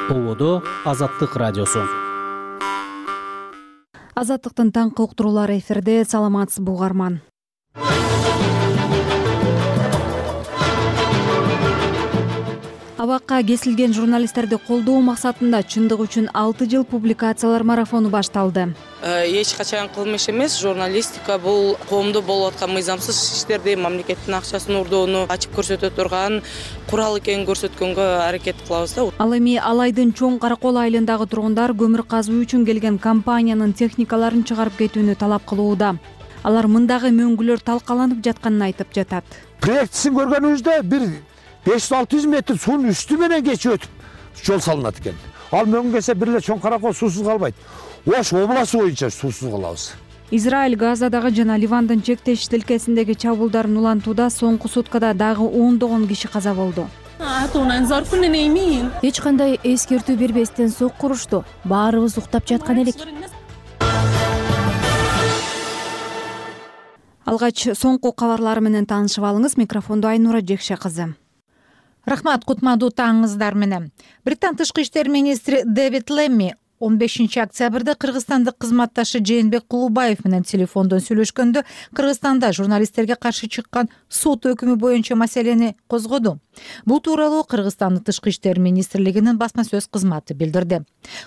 Ободо Азаттык радиосу. Азаттыктын таңкы уктуруулары эфирде. Саламатсызбы угарман. Абакка кесилген журналисттерди колдоо максатында чындык үчүн 6 жыл публикациялар марафону башталды. Эч качан кылмыш эмес. Журналистика бул коомдо болуп аткан мыйзамсыз иштерди, мамлекеттин акчасын урдоону ачып көрсөтө турган курал экенин көрсөткөнгө аракет кылабыз да. Ал эми Алайдын Чоң Каракол айылындагы тургундар көмүр казуу үчүн келген компаниянын техникаларын чыгарып кетүүнү талап кылууда. Алар мындагы мөңгүлөр талкаланып жатканын айтып жатат. Проектисин көргөнүбүздө бир 500-600 метр суунун үстү менен кечип өтүп жол салынат экен. Ал мөңгесе бир эле Чоң Каракол суусуз калбайт. Ош областы боюнча суусуз калабыз. Израиль Газадагы жана Ливандын чектеш тилкесиндеги чабуулдарын улантууда соңку суткада дагы 10 киши каза болду. Эч кандай эскертүү бербестен сокку урушту. Баарыбыз уктап жаткан элек. Алгач соңку кабарлар менен таанышып алыңыз. Микрофондо Айнура Жекше кызы. Рахмат, кутмандуу таңыңыздар менен. Британ тышкы иштер министри Дэвид Лемми 15 октябрда кыргызстандык кызматташы Жээнбек Кулубаев менен телефондон сүйлөшкөндө Кыргызстанда журналисттерге каршы чыккан сот өкүмү боюнча маселени козгоду. Бул тууралуу Кыргызстандын тышкы иштер министрлигинин басма сөз кызматы билдирди.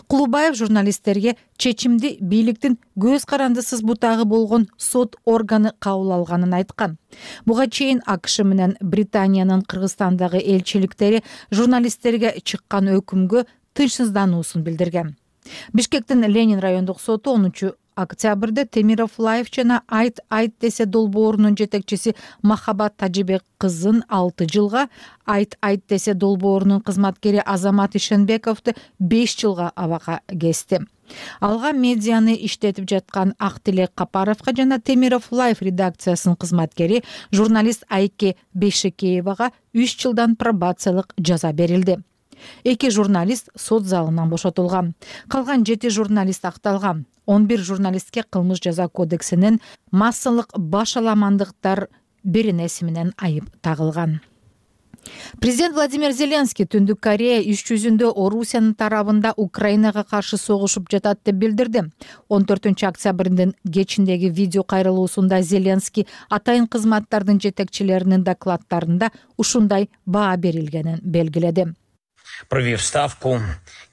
Кулубаев журналисттерге чечимди бийликтин көз карандысыз бутагы болгон сот органы кабыл алганын айткан. Буга чейин АКШ менен Британиянын Кыргызстандагы элчиликтери журналисттерге чыккан өкүмгө тынчсыздануусун билдирген. Бишкектин Ленин райондук соту 10 октябрда Темиров Лайф жана Айт десе долбоорунун жетекчиси Махабат Тажибек кызын 6 жылга, Айт десе долбоорунун кызматкери Азамат Ишенбековду 5 жылга абакка кести. Алга медианы иштетип жаткан Актилек Капаровго жана Темиров Лайф редакциясынын кызматкери журналист Айке Бейшекеевага 3 жылдан пробациялык жаза берилди. 2 журналист сот залынан бошотулган. Калган 7 журналист акталган. 11 журналистке кылмыш жаза кодексинин массалык башаламандыктар беренеси менен айып тагылган. Президент Владимир Зеленский Түндүк Корея иш жүзүндө Орусиянын тарабында Украинага каршы согушуп жатат деп билдирди. 14 октябрдын кечиндеги видео кайрылуусунда Зеленский атайын кызматтардын жетекчилеринин докладдарында ушундай баа берилгенин белгиледи. Провів ставку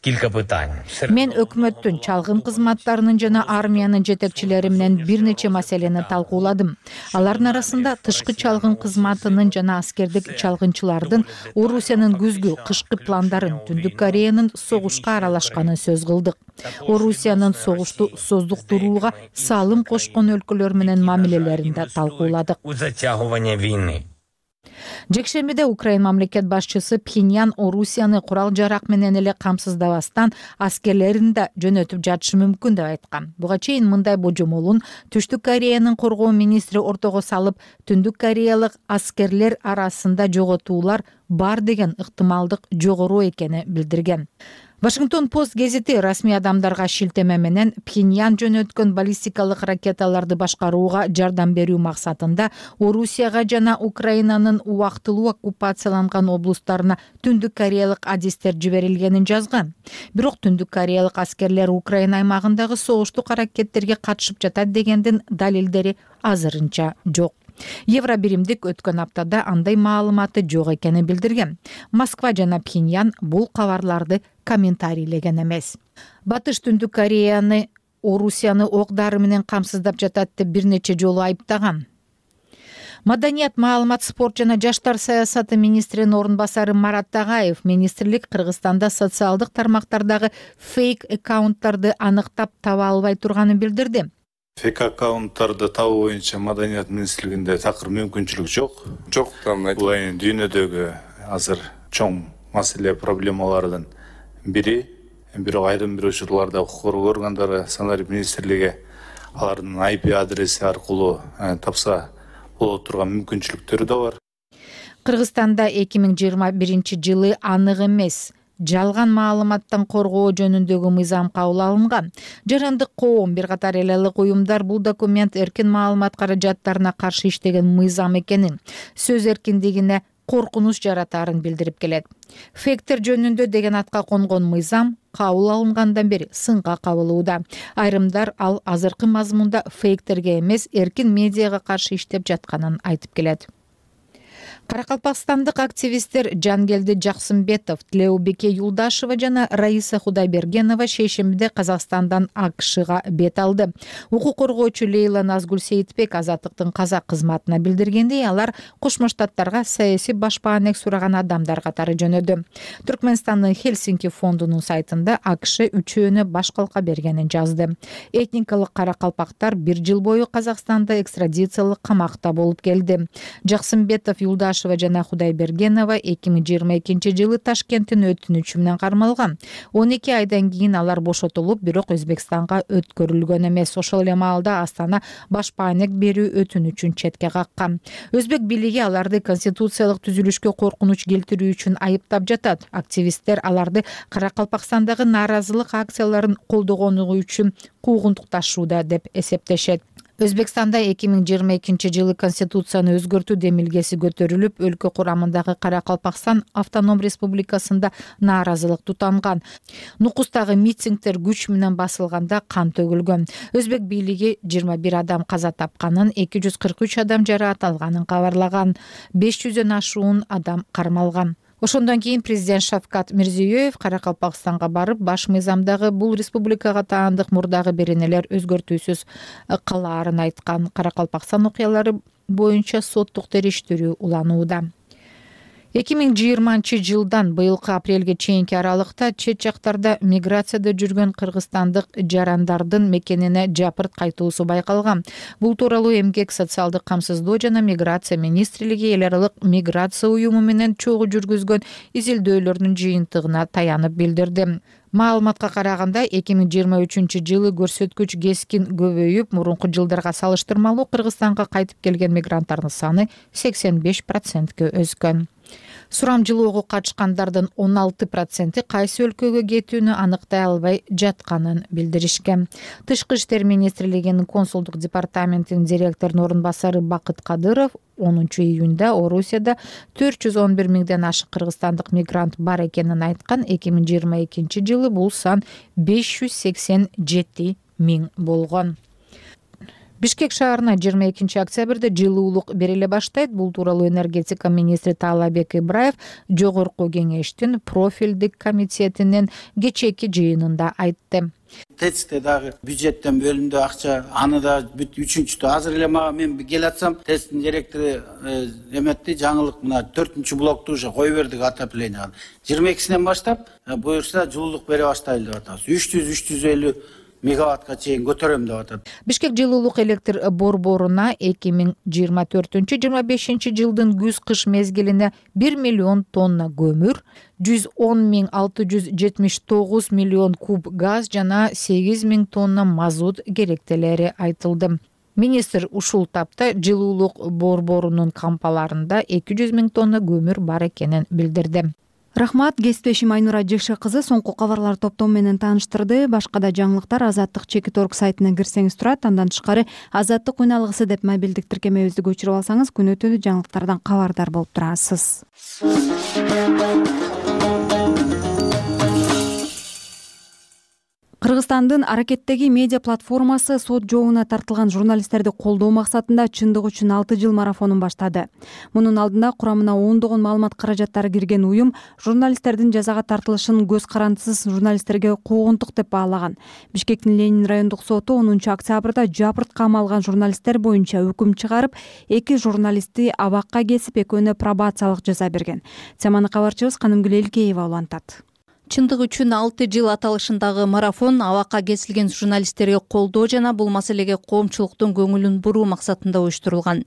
кілька питань. Мен өкмөттүн чалгын кызматтарынын жана армиянын жетекчилери менен бир нече маселени талкууладым. Алардын арасында тышкы чалгын кызматынын жана аскердик чалгынчылардын Орусиянын күзгү кышкы пландарын, Түндүк Кореянын согушка аралашканын сөз кылдык. Орусиянын согушту создуктурууга салым кошкон өлкөлөр менен мамилелерин да талкууладык. У затягування війни. Жекшембиде Украин мамлекет башчысы Пхеньян Орусияны курал-жарак менен эле камсыздабастан аскерлерин да жөнөтүп жатышы мүмкүн деп айткан. Буга чейин мындай божомолун Түштүк Кореянын коргоо министри ортого салып, Түндүк Кореялык аскерлер арасында жоготуулар бар деген ыктымалдык жогору экени билдирген. Вашингтон Пост гезити расмий адамдарга шилтеме менен Пхеньян жөнөткөн баллистикалык ракеталарды башкарууга жардам берүү максатында Орусияга жана Украинанын убактылуу оккупацияланган облустарына Түндүк Кореялык адистер жиберилгенин жазган. Бирок Түндүк Кореялык аскерлер Украина аймагындагы согуштук аракеттерге катышып жатат дегендин далилдери азырынча жок. Евробиримдик өткөн аптада андай маалыматы жок экенин билдирген. Москва жана Пхеньян бул кабарларды комментарийлеген эмес. Батыш Түндүк Кореяны Орусияны ок-дары менен камсыздап жатат деп бир нече жолу айыптаган. Маданият, маалымат, спорт жана жаштар саясаты министринин орун басары Марат Тагаев министрлик Кыргызстанда социалдык тармактардагы фейк аккаунттарды аныктап таба албай турганын билдирди. Фейк аккаунттарды табуу боюнча Маданият министрлигинде такыр мүмкүнчүлүк жок. Бул эми дүйнөдөгү азыр чоң маселе проблемалардын бири. Бирок айрым бир учурларда укук коргоо органдары Санарип министрлиги алардын IP адреси аркылуу тапса боло турган мүмкүнчүлүктөрү да бар. Кыргызстанда 2021 жылы анык эмес жалган маалыматтан коргоо жөнүндөгү мыйзам кабыл алынган. Жарандык коом, бир катар эл алык уюмдар бул документ эркин маалымат каражаттарына каршы иштеген мыйзам экенин, сөз эркиндигине коркунуч жаратаарын билдирип келет. Фейктер жөнүндө деген атка конгон мыйзам кабыл алынгандан бери сынга кабылууда. Айрымдар ал азыркы мазмунда фейктерге эмес, эркин медиага каршы иштеп жатканын айтып келет. Каракалпакстандык активисттер Жангелди Жаксымбетов, Тилеубеке Юлдашева жана Раиса Худайбергенова шейшембиде Казакстандан АКШга бет алды. Укук коргоочу Лейла Назгул Сейитбек Азаттыктын казак кызматына билдиргендей, алар Кошмо Штаттарга саясий башпаанек сураган адамдар катары жөнөдү. Түркмөнстандын Хельсинки фондунун сайтында АКШ үчөөнө баш калка бергенин жазды. Этникалык каракалпактар 1 жыл бою Казакстанда экстрадициялык камакта болуп келди. Жаксымбетов, Юлдашева жана Худайбергенова 2022 жылы Ташкенттин өтүнүчү менен кармалган. 12 айдан кийин алар бошотулуп, бирок Өзбекстанга өткөрүлгөн эмес. Ошол эле маалда Астана башпаанек берүү өтүнүчүн четке каккан. Өзбек бийлиги аларды конституциялык түзүлүшкө коркунуч келтирүү үчүн айыптап жатат. Активисттер аларды Каракалпакстандагы нааразылык акцияларын колдогону үчүн куугунтукташууда деп эсептешет. Өзбекстанда 2022 жылы конституцияны өзгөртүү демилгеси көтөрүлүп, өлкө курамындагы Каракалпакстан автоном республикасында нааразылык тутанган. Нукустагы митингдер күч менен басылганда кан төгүлгөн. Өзбек бийлиги 21 адам каза тапканын, 243 адам жараат алганын кабарлаган. 500дөн ашуун адам кармалган. Ошондон кийин президент Шавкат Мирзиёев Каракалпакстанга барып, баш мыйзамдагы бул республикага таандык мурдагы беренелер өзгөртүүсүз калаарын айткан. Каракалпакстан окуялары боюнча соттук териштирүү уланууда. 2020 жылдан быйылкы апрелге чейинки аралыкта чет жактарда миграцияда жүргөн кыргызстандык жарандардын мекенине жапырт кайтуусу байкалган. Бул тууралуу Эмгек, социалдык камсыздоо жана миграция министрлиги эл аралык миграция уюму менен чогуу жүргүзгөн изилдөөлөрдүн жыйынтыгына таянып билдирди. Маалыматка караганда 2023 жылы көрсөткүч кескин көбөйүп, мурунку жылдарга салыштырмалуу Кыргызстанга кайтып келген мигранттардын саны 85%ке өскөн. Сурамжылоого катышкандардын 16% кайсы өлкөгө кетүүнү аныктай албай жатканын билдиришкен. Тышкы иштер министрлигинин консулдук департаментинин директорунун орун басары Бакыт Кадыров 10 июнда Орусияда 411 миңден ашык кыргызстандык мигрант бар экенин айткан. 2022 жылы бул сан 587 миң болгон. Бишкек шаарына 22 октябрда жылуулук бериле баштайт. Бул тууралуу энергетика министри Таалайбек Ибраев жогорку кеңештин профилдик комитетинин кечээки жыйынында айтты. ТЭЦте дагы бюджеттен бөлүндү акча, аны да бүт үчүнчүдө азыр эле мен келатсам, ТЭЦтин директору эметти, жаңылык мына 4-блокту уже кое бердик отоплениега. 22-синен баштап буюрса жылуулук бере баштайлы деп атабыз. 300-350 мегаваттка чейин көтөрөм деп атат. Бишкек жылуулук электр борборуна 2024-25 жылдын күз-кыш мезгилине 1 миллион тонна көмүр, 110.679 миллион куб газ жана 8 миң тонна мазут керектелери айтылды. Министр ушул тапта жылуулук борборунун кампаларында 200 миң тонна көмүр бар экенин билдирди. Рахмат, кесиптешим Айнура Жекше кызы соңку кабарлар топтому менен тааныштырды. Башка да жаңылыктар Азаттык Чекит.орг сайтына кирсеңиз турат. Андан тышкары Азаттык үналгысы деп мобилдик тиркемебизди көчүрүп алсаңыз, күнү өтүү жаңылыктардан кабардар болуп турасыз. Кыргызстандын Аракеттеги медиа платформасы сот жообуна тартылган журналисттерди колдоо максатында чындык үчүн 6 жыл марафонун баштады. Мунун алдында курамына ондогон маалымат каражаттары кирген уюм журналисттердин жазага тартылышын көз карандысыз журналисттерге куугунтук деп баалаган. Бишкектин Ленин райондук соту 10 октябрда жапырт камалган журналисттер боюнча өкүм чыгарып, 2 журналистти абакка кесип, экөөнө пробациялык жаза берген. Теманы кабарчыбыз Канымгүл Элкеева улантат. Чындык үчүн 6 жыл аталышындагы марафон абакка кесилген журналисттерге колдоо жана бул маселеге коомчулуктун көңүлүн буруу максатында уюштурулган.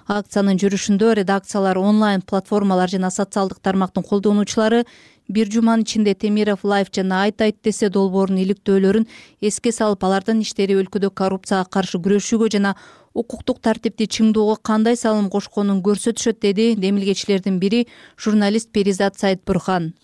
Акциянын жүрүшүндө редакциялар, онлайн платформалар жана социалдык тармактын колдонуучулары бир жуманын ичинде Темиров Лайф жана Айт десе долбоорунун иликтөөлөрүн эске салып, алардын иштери өлкөдө коррупцияга каршы күрөшүүгө жана укуктук тартипти чыңдоого кандай салым кошконун көрсөтүшөт, деди демилгечилердин бири журналист Перизат Сайтбурхан.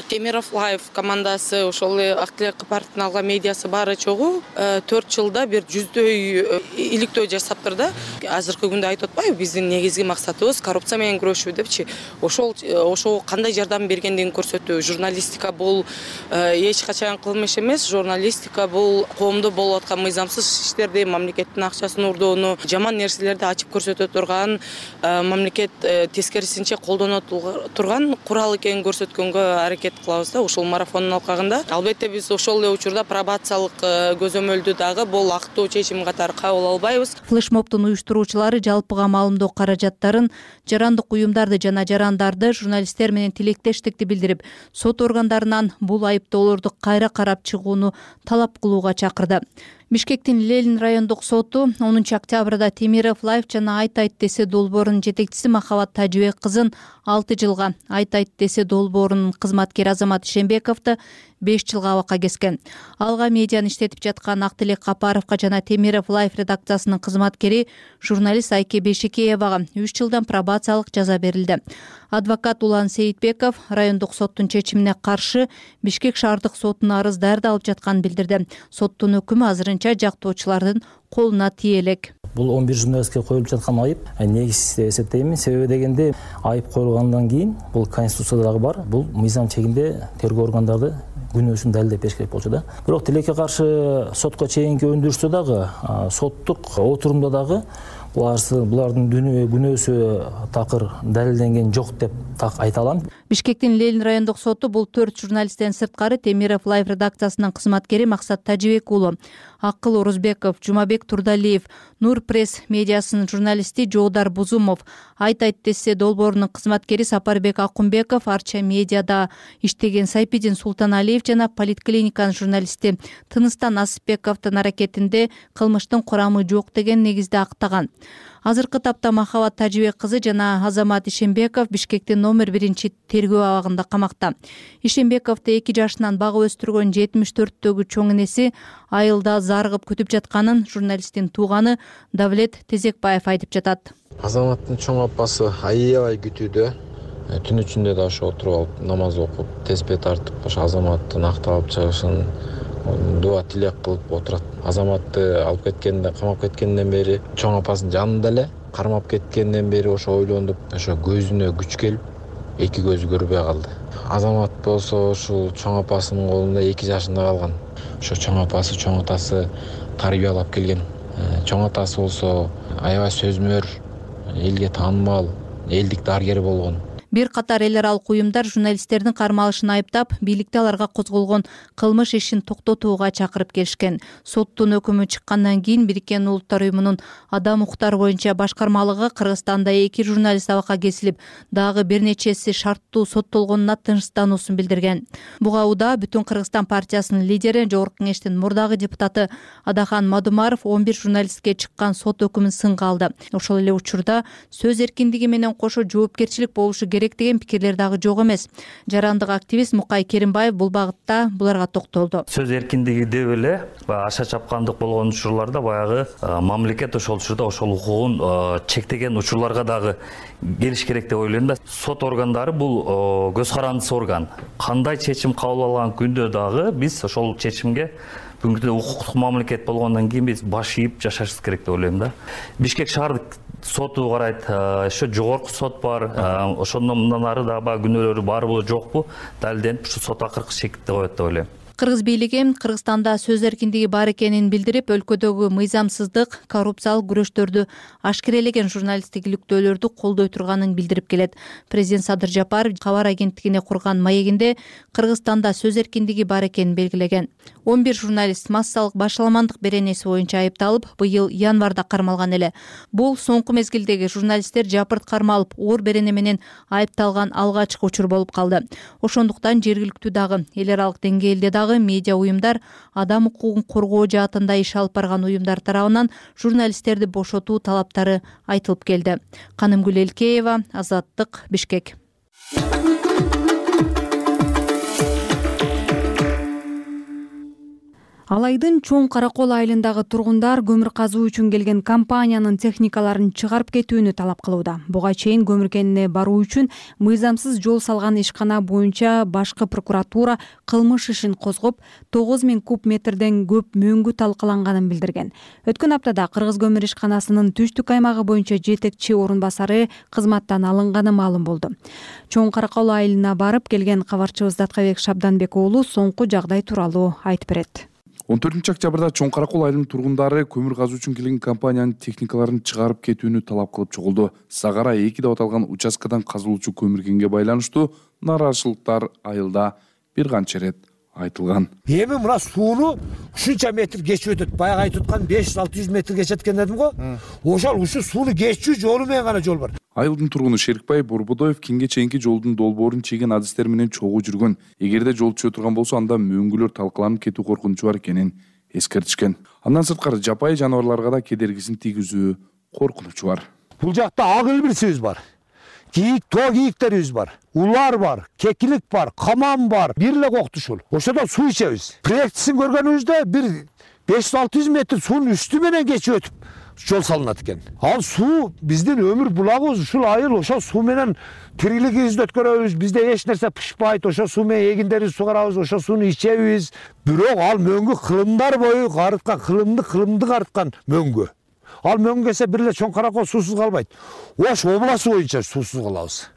Темиров Лайв командасы ошол эле Ак Тилек партиянын алга медиасы баары чогуу 4 жылда бир 100дөй иликтөө жасаптыр да. Азыркы күндө айтып атпайбы, биздин негизги максатыбыз коррупция менен күрөшүү депчи. Ошого кандай жардам бергендигин көрсөтүү. Журналистика бул эч качан кылмыш эмес. Журналистика бул коомдо болуп аткан мыйзамсыз иштерди, мамлекеттин акчасын урдоону, жаман нерселерди ачып көрсөтө турган, мамлекет тескерисинче колдоно турган курал экенин көрсөткөнгө аракет кылабыз да ушул марафондун алкагында. Албетте биз ошол эле учурда пробациялык көзөмөлдү дагы бул актуу чечим катары кабыл албайбыз. Флешмобдун уюштуруучулары жалпыга маалымдоо каражаттарын, жарандык уюмдарды жана жарандарды, журналисттер менен тилектештикти билдирип, сот органдарынан бул айыптоолорду кайра карап чыгууну талап кылууга чакырды. Бишкектин Ленин райондук соту 10 октябрда Темиров Лайв жана Айт десе долбоорунун жетекчиси Махабат Тажыбек кызын 6 жылга, Айт десе долбоорунун кызматкери Азамат Ишембековду 5 жылга абакка кескен. Алга медианы иштетип жаткан Актилек Капаровго жана Темиров Лайв редакциясынын кызматкери журналист Айке Бешикеевага 3 жылдан пробациялык жаза берилди. Адвокат Улан Сейитбеков райондук соттун чечимине каршы Бишкек шаардык сотуна арыз даярдалып жатканын билдирди. Соттун өкүмү азырынча жактоочулардын колуна тие элек. Бул 11 журналистке коюлуп жаткан айып негизсиз деп эсептейм. Себеби дегенде айып коюлгандан кийин бул конституцияда дагы бар. Бул мыйзам чегинде тергөө органдары күнөөсүн далилдеп бериш керек болчу да. Бирок тилекке каршы сотко чейинки өндүрүштө дагы соттук отурумда дагы булардын күнөөсү такыр далилденген жок деп так айта алам. Бишкектин Ленин райондук соту бул 4 журналисттен сырткары Темиров Лайв редакциясынын кызматкери Максат Тажыбек уулу, Акыл Орузбеков, Жумабек Турдалиев, Нур пресс медиасынын журналисти Жоодар Бузумов, Айт десе долбоорунун кызматкери Сапарбек Акунбеков, Арча медиада иштеген Сайпидин Султаналиев жана Политклиниканын журналисти Тыныстан Асыпбековдун аракетинде кылмыштын курамы жок деген негизде актаган. Азыркы тапта Махабат Тажыбек кызы жана Азамат Ишембеков Бишкектин номер 1 тергөө абагында камакта. Ишембековду 2 жашынан багып өстүргөн 74-төгү чоң энеси айылда зарыгып күтүп жатканын журналисттин тууганы Давлет Тезекбаев айтып жатат. Азаматтын чоң апасы аябай күтүүдө. Түн ичинде да ошо отуруп алып намаз окуп, теспе тартып, ошо Азаматтын акталып чыгышын дуа тилек кылып отурат. Азаматты алып кеткенде, камап кеткенден бери чоң апасынын жанында эле, кармап кеткенден бери ошо ойлондуп, ошо көзүнө күч келип, 2 көзү көрбөй калды. Азамат болсо ушул чоң апасынын колунда 2 жашында калган. Ошо чоң апасы, чоң атасы тарбиялап келген. Чоң атасы болсо аябай сөзмөр, элге таанымал, элдик дарыгер болгон. Бир катар эл аралык уюмдар журналисттердин кармалышын айыптап, бийликте аларга козголгон кылмыш ишин токтотууга чакырып келишкен. Соттун өкүмү чыккандан кийин Бириккен Улуттар уюмунун адам укуктары боюнча башкармалыгы Кыргызстанда 2 журналист абакка кесилип, дагы бир нечеси шарттуу соттолгонуна тынчтануусун билдирген. Буга уда Бүтүн Кыргызстан партиясынын лидери, Жогорку Кеңештин мурдагы депутаты Адахан Мадумаров 11 журналистке чыккан сот өкүмүн сынга алды. Ошол эле учурда сөз эркиндиги менен кошо жоопкерчилик болушу керек деген пикирлер дагы жок эмес. Жарандык активист Мукай Керимбаев бул багытта буларга токтолду. Сөз эркиндиги деп эле аша чапкандык болгон учурларда баягы мамлекет ошол учурда ошол укугун чектеген учурларга дагы келиш керек деп ойлойм да. Сот органдары бул көз карандысы орган. Кандай чечим кабыл алган күндө дагы биз ошол чечимге бүгүнкү күндө укуктук мамлекет болгондон кийин биз баш ийип жашашыбыз керек деп ойлойм да. Бишкек шаардык соту карайт, ошо жогорку сот бар, ошондон мындан ары дагы күнөөлөрү барбы жокпу далилденип ушу сот акыркы чекитте коет деп ойлойм. Кыргыз бийлиги Кыргызстанда сөз эркиндиги бар экенин билдирип, өлкөдөгү мыйзамсыздык, коррупциялык күрөштөрдү ашкерелеген журналисттик иликтөөлөрдү колдой турганын билдирип келет. Президент Садыр Жапаров кабар агенттигине курган маегинде Кыргызстанда сөз эркиндиги бар экенин белгилеген. 11 журналист массалык башаламандык беренеси боюнча айыпталып, быйыл январда кармалган эле. Бул соңку мезгилдеги журналисттер жапырт кармалып, оор берене менен айыпталган алгачкы учур болуп калды. Ошондуктан жергиликтүү дагы эл аралык деңгээлде медиа уюмдар адам укугун коргоо жаатында иш алып барган уюмдар тарабынан журналисттерди бошотуу талаптары айтылып келди. Канымгүл Элкеева, Азаттык, Бишкек. Ал айдын Чоң Каракол айылындагы тургундар көмүр казуу үчүн келген компаниянын техникаларын чыгарып кетүүнү талап кылууда. Буга чейин көмүр кенине баруу үчүн мыйзамсыз жол салган ишкана боюнча башкы прокуратура кылмыш ишин козгоп, 9000 куб метрден көп мөңгү талкаланганын билдирген. Өткөн аптада Кыргыз көмүр ишканасынын түштүк аймагы боюнча жетекчи орун басары кызматтан алынганы маалым болду. Чоң Каракол айылына барып келген кабарчыбыз Даткабек Шабданбек уулу соңку жагдай тууралуу айтып берет. 14 октябрда Чоң Каракол айылынын тургундары көмүр казуу үчүн келген компаниянын техникаларын чыгарып кетүүнү талап кылып чогулду. Сагара 2 деп аталган участкадан казылуучу көмүр кенге байланыштуу нааразычылыктар айылда бир канча ирет айтылган. Эми мына сууну ушунча метр кечип өтөт. Баягы айтып аткан 500-600 метр кечет экен дедим го. Ошол ушу сууну кечүү жолу менен гана жол бар. Айылдын тургуну Шерикбай Борбодоев кенге чейинки жолдун долбоорун чеген адистер менен чогуу жүргөн. Эгерде жол түшө турган болсо, анда мөңгүлөр талкаланып кетүү коркунучу бар экенин эскертишкен. Андан сырткары жапайы жаныбарларга да кедергисин тийгизүү коркунучу бар. Бул жакта ак илбирсибиз бар. Тоо кийиктерибиз бар. Улар бар, кекилик бар, каман бар. Бир эле коктушул. Ошодо суу ичебиз. Проектисин көргөнүбүздө бир 500-600 метр суунун үстү менен кечип өтүп жол салынат экен. Ал суу биздин өмүр булагыбыз, ушул айыл ошол суу менен тирилигибизди өткөрөбүз. Бизде эч нерсе пышпайт. Ошол суу менен эгиндерибизди сугарабыз, ошол сууну ичебиз. Бирок ал мөңгү кылымдар бою карыткан, кылымды карыткан мөңгү. Ал мөңгү келсе бир эле Чоң Каракол суусуз калбайт. Ош областы боюнча суусуз калабыз.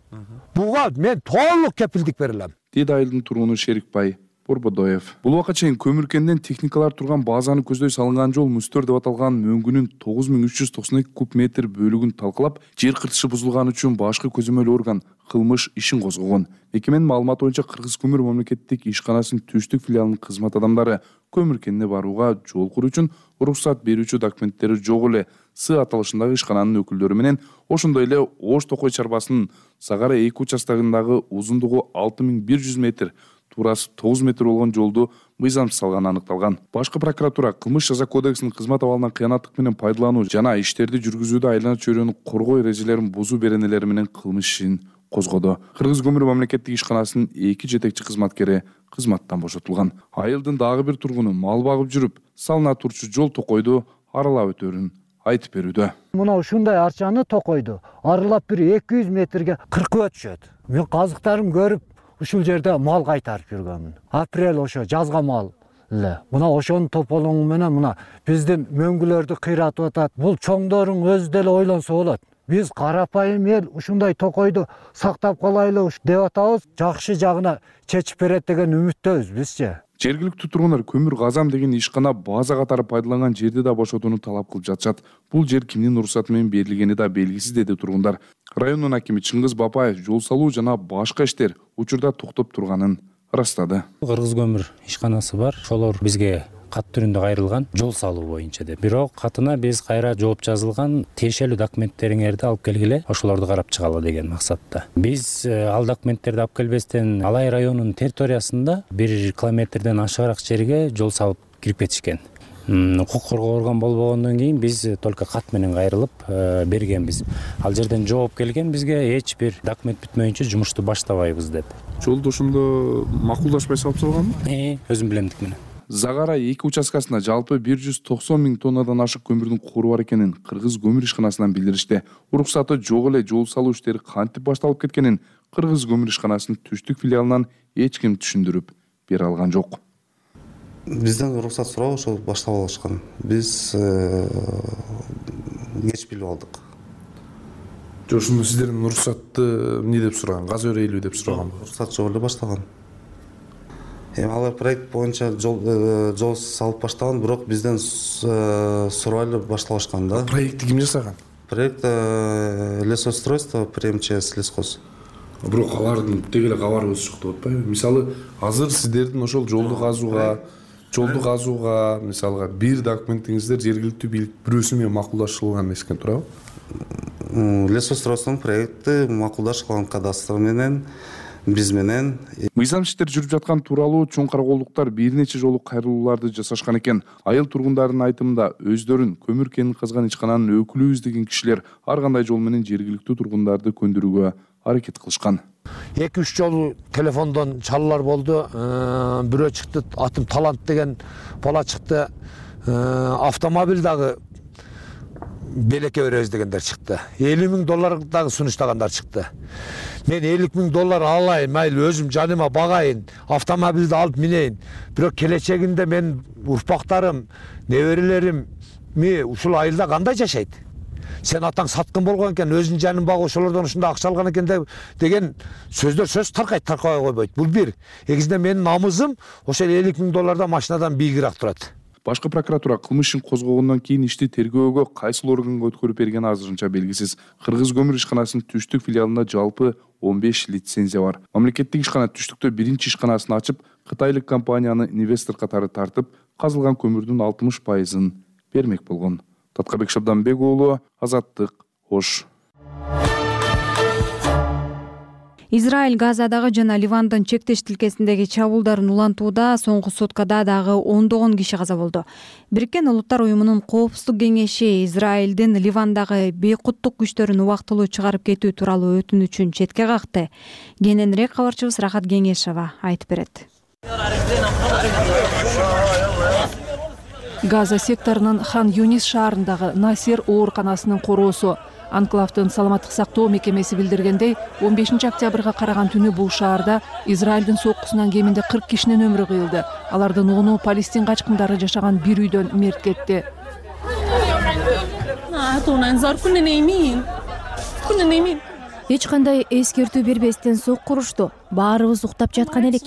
Буга мен толук кепилдик бере алам. Дейт айылдын тургуну Шерикбай Борбодоев. Бул убакка чейин көмүр кенинен техникалар турган базаны көздөй салынган жол мустөр деп аталган мөңгүнүн 9392 куб метр бөлүгүн талкалап, жер кыртышы бузулган үчүн башкы көзөмөл орган кылмыш ишин козгогон. Мекеменин маалыматы боюнча Кыргыз көмүр мамлекеттик ишканасынын түштүк филиалынын кызмат адамдары көмүр кенине барууга жол куруу үчүн уруксат берүүчү документтери жок эле С аталышындагы ишкананын өкүлдөрү менен, ошондой эле Ош Токой чарбасынын Сагара 2 участогундагы узундугу 6100 метр, туурасы 9 метр болгон жолду мыйзамсыз салганы аныкталган. Башкы прокуратура кылмыш жаза кодексинин кызмат абалынан кыянаттык менен пайдалануу жана иштерди жүргүзүүдө айлана чөйрөнү коргоо эрежелерин бузуу беренелери менен кылмыш ишин козгоду. Кыргыз көмүр мамлекеттик ишканасынын 2 жетекчи кызматкери кызматтан бошотулган. Айылдын дагы бир тургуну мал багып жүрүп, салына турчу жол Токойду аралап өтөөрүн айтып берүүдө. Мына ушундай арчаны Токойду аралап бир 200 метрге кыркып өтүшөт. Мен казыктарым көрүп ушул жерде мал кайтарып жүргөнмүн. Апрель ошо жазга мал эле. Мына ошонун тополоңу менен мына биздин мөңгүлөрдү кыйратып атат. Бул чоңдорун өзү деле ойлонсо болот. Биз карапайым эл ушундай Токойду сактап калайлы деп атабыз. Жакшы жагына чечип берет деген үмүттөбүз бизчи. Жергиликтүү тургундар көмүр казам деген ишкана база катары пайдаланган жерди да бошотууну талап кылып жатышат. Бул жер кимдин уруксаты менен берилгени да белгисиз, деди тургундар. Райондун акими Чыңгыз Бапаев жол салуу жана башка иштер учурда токтоп турганын ырастады. Кыргыз көмүр ишканасы бар. Ошолор бизге кат түрүндө кайрылган жол салуу боюнча деп. Бирок катына биз кайра жооп жазылган тиешелүү документтериңерди алып келгиле, ошолорду карап чыгалы деген максатта. Биз ал документтерди алып келбестен Алай районунун территориясында 1 километрден ашыгыраак жерге жол салып кирип кетишкен. Укук коргоо орган болбогондон кийин биз только кат менен кайрылып бергенбиз. Ал жерден жооп келген бизге эч бир документ бүтмөйүнчө жумушту баштабайбыз деп. Жолду ошондо макулдашпай салып салганбы? Өзүм билемдик менен. Загара 2 участкасында жалпы 190 000 тоннадан ашык көмүрдүн кору бар экенин Кыргыз көмүр ишканасынан билдиришти. Уруксаты жок эле жол салуу иштери кантип башталып кеткенин Кыргыз көмүр ишканасынын түштүк филиалынан эч ким түшүндүрүп бере алган жок. Бизден уруксат сурап ошол баштап алышкан. Биз кеч билип алдык. Ошондо сиздердин уруксатты эмне деп сураган? Газ өрөйлүү деп сураган. Уруксат жок эле баштаган. Алар проект боюнча жол салып баштаган, бирок бизден сурап эле башталышкан да. Проектти ким жасаган? Проект лесоустройство при МЧС лесхоз. Бирок алардын тег эле кабарыбыз жок деп атпайбы? Мисалы, азыр сиздердин ошол жолду казууга, мисалга бир документиңиздер жергиликтүү бийлик бирөөсү менен макулдашылган эмес экен, туурабы? Лесоустройствонун проекти макулдашылган кадастр менен биз менен. Мыйзам иштер жүрүп жаткан тууралуу Чоң Караколдуктар бир нече жолу кайрылууларды жасашкан экен. Айыл тургундарынын айтымында өздөрүн көмүр кенин казган ишкананын өкүлүбүз деген кишилер ар кандай жол менен жергиликтүү тургундарды көндүрүүгө аракет кылышкан. 2-3 жолу телефондон чалуулар болду. Бирөө чыкты, атым Талант деген бала чыкты. Автомобиль дагы белекке беребиз дегендер чыкты. $50,000 дагы сунуштагандар чыкты. Мен $50,000 алайын, майыл өзүм жаныма багайын, автомобилди алып минейин. Бирок келечегинде мен урпактарым, неберелерими ушул айылда кандай жашайт? Сен атаң саткын болгон экен, өзүнүн жанын багып ошолордон ушундай акча алган экен деген сөздөр сөз таркабай койбойт. Бул бир. Экинчиден менин намызым ошол $50,000 машинадан бийигирээк турат. Башкы прокуратура кылмыш ишин козгогондон кийин ишти тергөөгө кайсыл органга өткөрүп бергени азырынча белгисиз. Кыргыз көмүр ишканасынын Түштүк филиалында жалпы 15 лицензия бар. Мамлекеттик ишкана Түштүктө биринчи ишканасын ачып, кытайлык компанияны инвестор катары тартып, казылган көмүрдүн 60% бермек болгон. Таткабек Шабданбек уулу, Азаттык, Ош. Израиль Газадагы жана Ливандын чектеш тилкесиндеги чабуулдарын улантууда соңку суткада дагы ондогон киши каза болду. Бириккен Улуттар уюмунун Коопсуздук кеңеши Израилдин Ливандагы бейкуттук күчтөрүн убактылуу чыгарып кетүү тууралуу өтүнүчүн четке какты. Кененирээк кабарчыбыз Рахат Кеңешова айтып берет. Газа секторунун Хан Юнис шаарындагы Насер ооруканасынын короосу. Анклавдын саламаттык сактоо мекемеси билдиргендей, 15 октябрга караган түнү бул шаарда Израилдин соккусунан кеминде 40 кишинин өмүрү кыйылды. Алардын 10-у Палестин качкындары жашаган бир үйдөн мерт кетти. Эч кандай эскертүү бербестен сокку урушту. Баарыбыз уктап жаткан элек.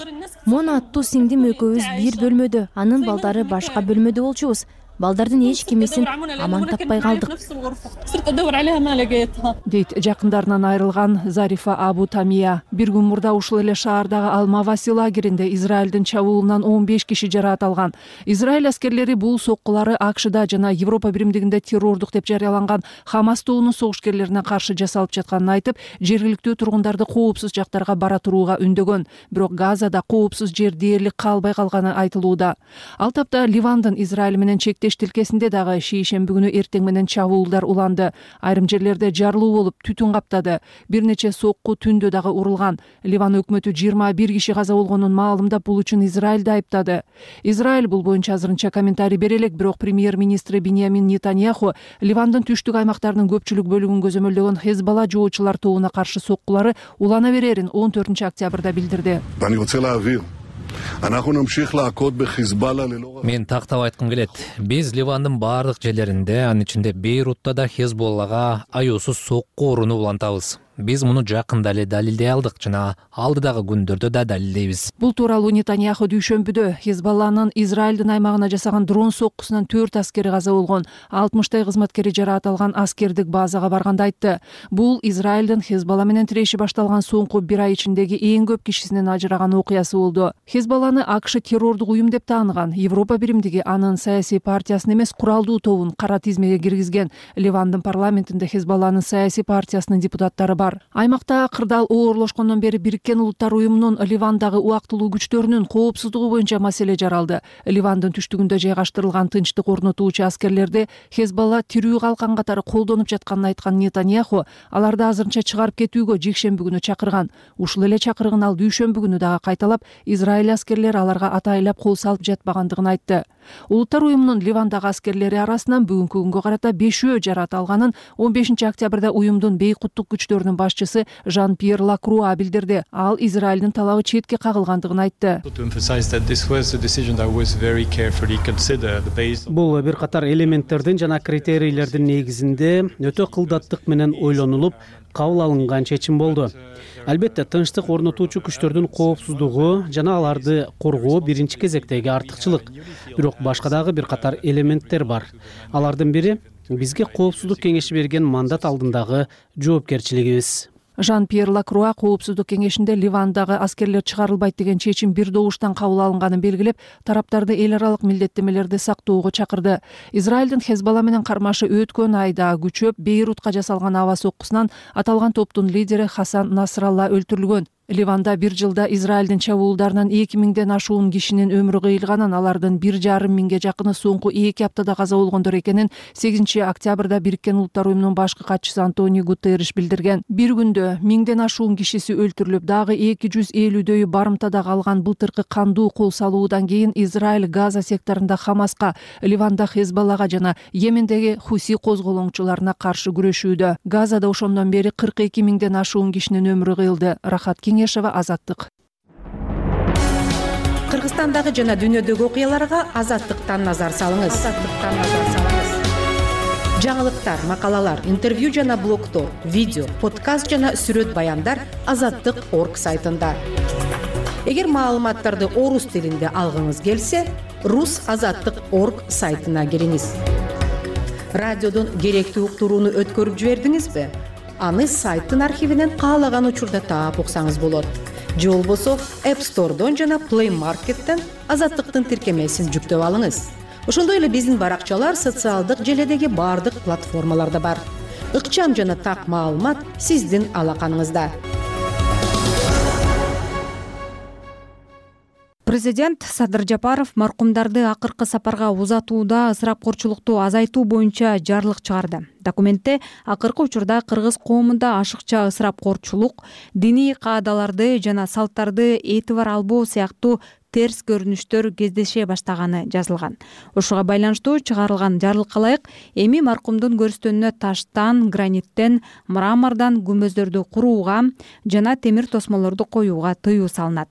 Мона аттуу сиңдим экөөбүз бир бөлмөдө, анын балдары башка бөлмөдө болчубуз. Балдардын эч кимисин аман таппай калдык. Дейт жакындарынан айрылган Зарифа Абу Тамия. Бир күн мурда ушул эле шаардагы Ал-Маваси лагеринде Израилдин чабуулунан 15 киши жараат алган. Израиль аскерлери бул соккулары АКШда жана Европа биримдигинде террордук деп жарыяланган Хамас тобунун согушкерлерине каршы жасалып жатканын айтып, жергиликтүү тургундарды коопсуз жактарга бара турууга үндөгөн. Бирок Газада коопсуз жер дээрлик калбай калганы айтылууда. Ал тапта Ливандын Израиль менен чектеш тилкесинде дагы шейшемби күнү эртең менен чабуулдар уланды. Айрым жерлерде жарылуу болуп, түтүн каптады. Бир нече сокку түндө дагы урулган. Ливан өкмөтү 21 киши каза болгонун маалымдап, бул үчүн Израилди айыптады. Израиль бул боюнча азырынча комментарий бере элек, бирок премьер-министри Биньямин Нетаньяху Ливандын түштүк аймактарынын көпчүлүк бөлүгүн көзөмөлдөгөн Хезбалла жоочулар тобуна каршы соккулары улана берерин 14 октябрда билдирди. Мен тактап айткым келет. Биз Ливандын баардык жерлеринде, анын ичинде Бейрутта да Хезболлага аюусуз сокку урууну улантабыз. Биз муну жакында эле далилдей алдык жана алдыдагы күндөрдө да далилдейбиз. Бул тууралуу Нетаньяху дүйшөмбүдө Хезбалланын Израилдин аймагына жасаган дрон соккусунан 4 аскери каза болгон, 60 кызматкери жараат алган аскердик базага барганда айтты. Бул Израилдин Хезбалла менен тиреши башталган соңку бир ай ичиндеги эң көп кишисинин ажыраган окуясы болду. Хезбалланы АКШ террордук уюм деп тааныган. Европа биримдиги анын саясий партиясын эмес, куралдуу тобун кара тизмеге киргизген. Ливандын парламентинде Хезбалланын саясий партиясынын депутаттары бар. Аймакта кырдаал оорлошкондон бери Бириккен Улуттар уюмунун Ливандагы убактылуу күчтөрүнүн коопсуздугу боюнча маселе жаралды. Ливандын түштүгүндө жайгаштырылган тынчтык орнотуучу аскерлерди Хезбалла тирүү калкан катары колдонуп жатканын айткан Нетаньяху аларды азырынча чыгарып кетүүгө жекшемби күнү чакырган. Ушул эле чакырыгын ал дүйшөмбү күнү дагы кайталап, Израиль аскерлери аларга атайлап кол салып жатпагандыгын айтты. Улуттар уюмунун Ливандагы аскерлери арасынан бүгүнкү күнгө карата 5 жараат алганын 15 октябрда уюмдун бейкуттук күчтөрүнүн башчысы Жан-Пьер Лакруа билдирди. Ал Израилдин талабы четке кагылгандыгын айтты. Бул бир катар элементтердин жана критерийлердин негизинде өтө кылдаттык менен ойлонулуп кабыл алынган чечим болду. Албетте, тынчтык орнотуучу күчтөрдүн коопсуздугу жана аларды коргоо биринчи кезектеги артыкчылык. Бирок башка дагы бир катар элементтер бар. Алардын бири бизге коопсуздук кеңеши берген мандат алдындагы жоопкерчилигибиз. Жан-Пьер Лакруа коопсуздук кеңешинде Ливандагы аскерлер чыгарылбайт деген чечим бир добуштан кабыл алынганын белгилеп, тараптарды эл аралык милдеттемелерди сактоого чакырды. Израилдин Хезбалла менен кармашы өткөн айда күчөп Бейрутка жасалган аба соккусунан аталган топтун лидери Хасан Насралла өлтүрүлгөн. Ливанда бир жылда Израилдин чабуулдарынан 2000ден ашуун кишинин өмүрү кыйылганын, алардын 1,5 миңге жакыны соңку 2 аптада каза болгондор экенин 8 октябрда Бириккен Улуттар уюмунун башкы катчысы Антонио Гутерриш билдирген. Бир күндө 1000ден ашуун кишиси өлтүрүлүп, дагы 250дөйү барымтада калган былтыркы кандуу кол салуудан кийин Израиль Газа секторунда Хамаска, Ливанда Хезболлага жана Йемендеги Хуси козголоңчуларына каршы күрөшүүдө. Газада ошондон бери 42 миңден ашуун кишинин өмүрү кыйылды. Рахат Кеңешева, Азаттык. Кыргызстандагы жана дүйнөдөгү окуяларга Азаттыктан назар салыңыз. Жаңылыктар, макалалар, интервью жана блогдор, видео, подкаст жана сүрөт баяндар Азаттык.орг сайтында. Эгер маалыматтарды орус тилинде алгыңыз келсе, Rus.Azаттык.орг сайтына кириңиз. Радиодон керектүү уктурууну өткөрүп жибердиңизби? Аны сайттын архивинен каалаган учурда таап уксаңыз болот. Же болбосо App Store'дон жана Play Market'тен Азаттыктын тиркемесин жүктөп алыңыз. Ошондой эле биздин баракчалар социалдык желедеги бардык платформаларда бар. Ыкчам жана так маалымат сиздин алаканыңызда. Президент Садыр Жапаров маркумдарды акыркы сапарга узатууда ысырапкорчулукту азайтуу боюнча жарлык чыгарды. Документте акыркы учурда кыргыз коомунда ашыкча ысырапкорчулук, диний каадаларды жана салттарды этибар албоо сыяктуу терс көрүнүштөр кездеше баштаганы жазылган. Ошого байланыштуу чыгарылган жарлыкка ылайык эми маркумдун көрүстөнүнө таштан, граниттен, мрамордон күмбөздөрдү курууга жана темир тосмолорду коюуга тыюу салынат.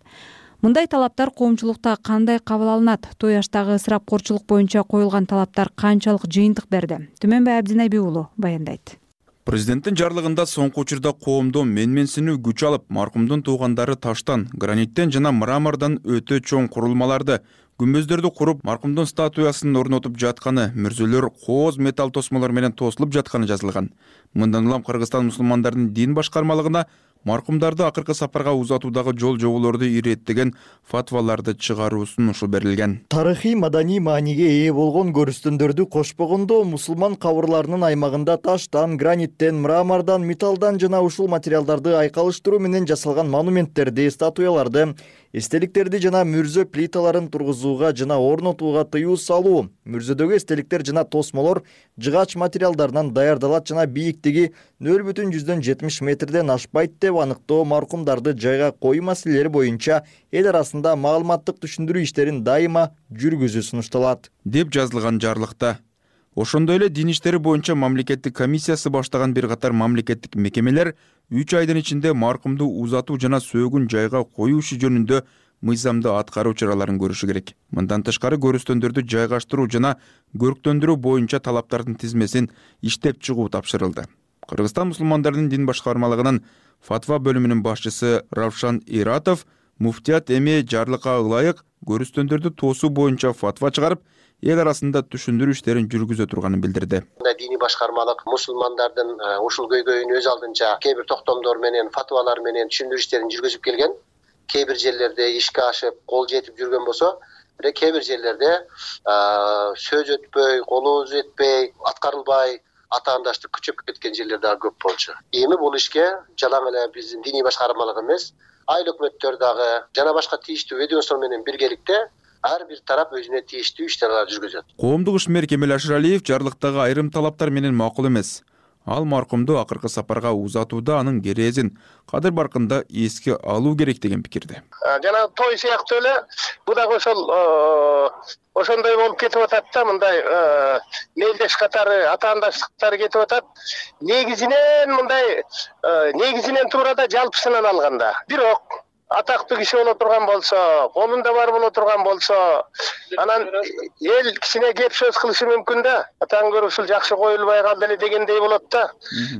Мындай талаптар коомчулукта кандай кабыл алынат? Тояштагы ысырапкорчулук боюнча коюлган талаптар канчалык жыйынтык берди? Түмөнбай Абдинайби уулу баяндайт. Президенттин жарлыгында соңку учурда коомдо менменсинүү күч алып, маркумдун туугандары таштан, граниттен жана мрамордон өтө чоң курулмаларды, күмбөздөрдү куруп, маркумдун статуясын орнотуп жатканы, мүрзөлөр кооз металл тосмолор менен тосулуп жатканы жазылган. Мындан улам Кыргызстан мусулмандардын дин башкармалыгына маркумдарды акыркы сапарга узатуудагы жол жоболорду иреттеген фатваларды чыгаруу сунушу берилген. Тарыхый маданий мааниге ээ болгон көрүстөндөрдү кошпогондо мусулман кабырларынын аймагында таштан, граниттен, мрамордон, металлдан жана ушул материалдарды айкалыштыруу менен жасалган монументтерди, статуяларды, эстеликтерди жана мүрзө плиталарын тургузууга жана орнотууга тыюу салуу, мүрзөдөгү эстеликтер жана тосмолор жыгач материалдарынан даярдалат жана бийиктиги 0,70 метрден ашпайт деп аныктоо, маркумдарды жайга коюу маселелери боюнча эл арасында маалыматтык түшүндүрүү иштерин дайыма жүргүзүү сунушталат деп жазылган жарлыкта. Ошондой эле дин иштери боюнча мамлекеттик комиссиясы баштаган бир катар мамлекеттик мекемелер 3 айдын ичинде маркумду узатуу жана сөөгүн жайга коюу иши жөнүндө мыйзамды аткаруу чараларын көрүшү керек. Мындан тышкары көрүстөндөрдү жайгаштыруу жана көрктөндүрүү боюнча талаптардын тизмесин иштеп чыгуу тапшырылды. Кыргызстан мусулмандардын дин башкармалыгынын фатва бөлүмүнүн башчысы Равшан Иратов муфтият эми жарлыкка ылайык көрүстөндөрдү тоосуу боюнча фатва чыгарып, эл арасында түшүндүрүү иштерин жүргүзө турганын билдирди. Диний башкармалык мусулмандардын ушул көйгөйүн өз алдынча кээ бир токтомдор менен, фатвалар менен түшүндүрүү иштерин жүргүзүп келген. Кээ бир жерлерде ишке ашып, кол жетип жүргөн болсо, бирок кээ бир жерлерде сөз өтпөй, колу жетпей, аткарылбай, атаандаштык күчөп кеткен жерлер дагы көп болчу. Эми бул ишке жалаң эле биздин диний башкармалык эмес, айыл өкмөттөр дагы жана башка тийиштүү ведомство менен биргеликте ар бир тарап өзүнө тийиштүү иштерди жүргүзөт. Коомдук ишмер Кемел Ашыралиев жарлыктагы айрым талаптар менен макул эмес. Ал маркумду акыркы сапарга узатууда анын керезин кадыр баркында эске алуу керек деген пикирде. Жана той сыяктуу эле бул дагы ошондой болуп кетип атат да, мындай мелдеш катары, атаандаштыктары кетип атат. Негизинен мындай негизинен туура да жалпысынан алганда. Бирок атактуу киши боло турган болсо, колунда бар боло турган болсо, анан эл кичине кеп сөз кылышы мүмкүн да. Атаң көрүп ушул жакшы коюлбай калды эле дегендей болот да.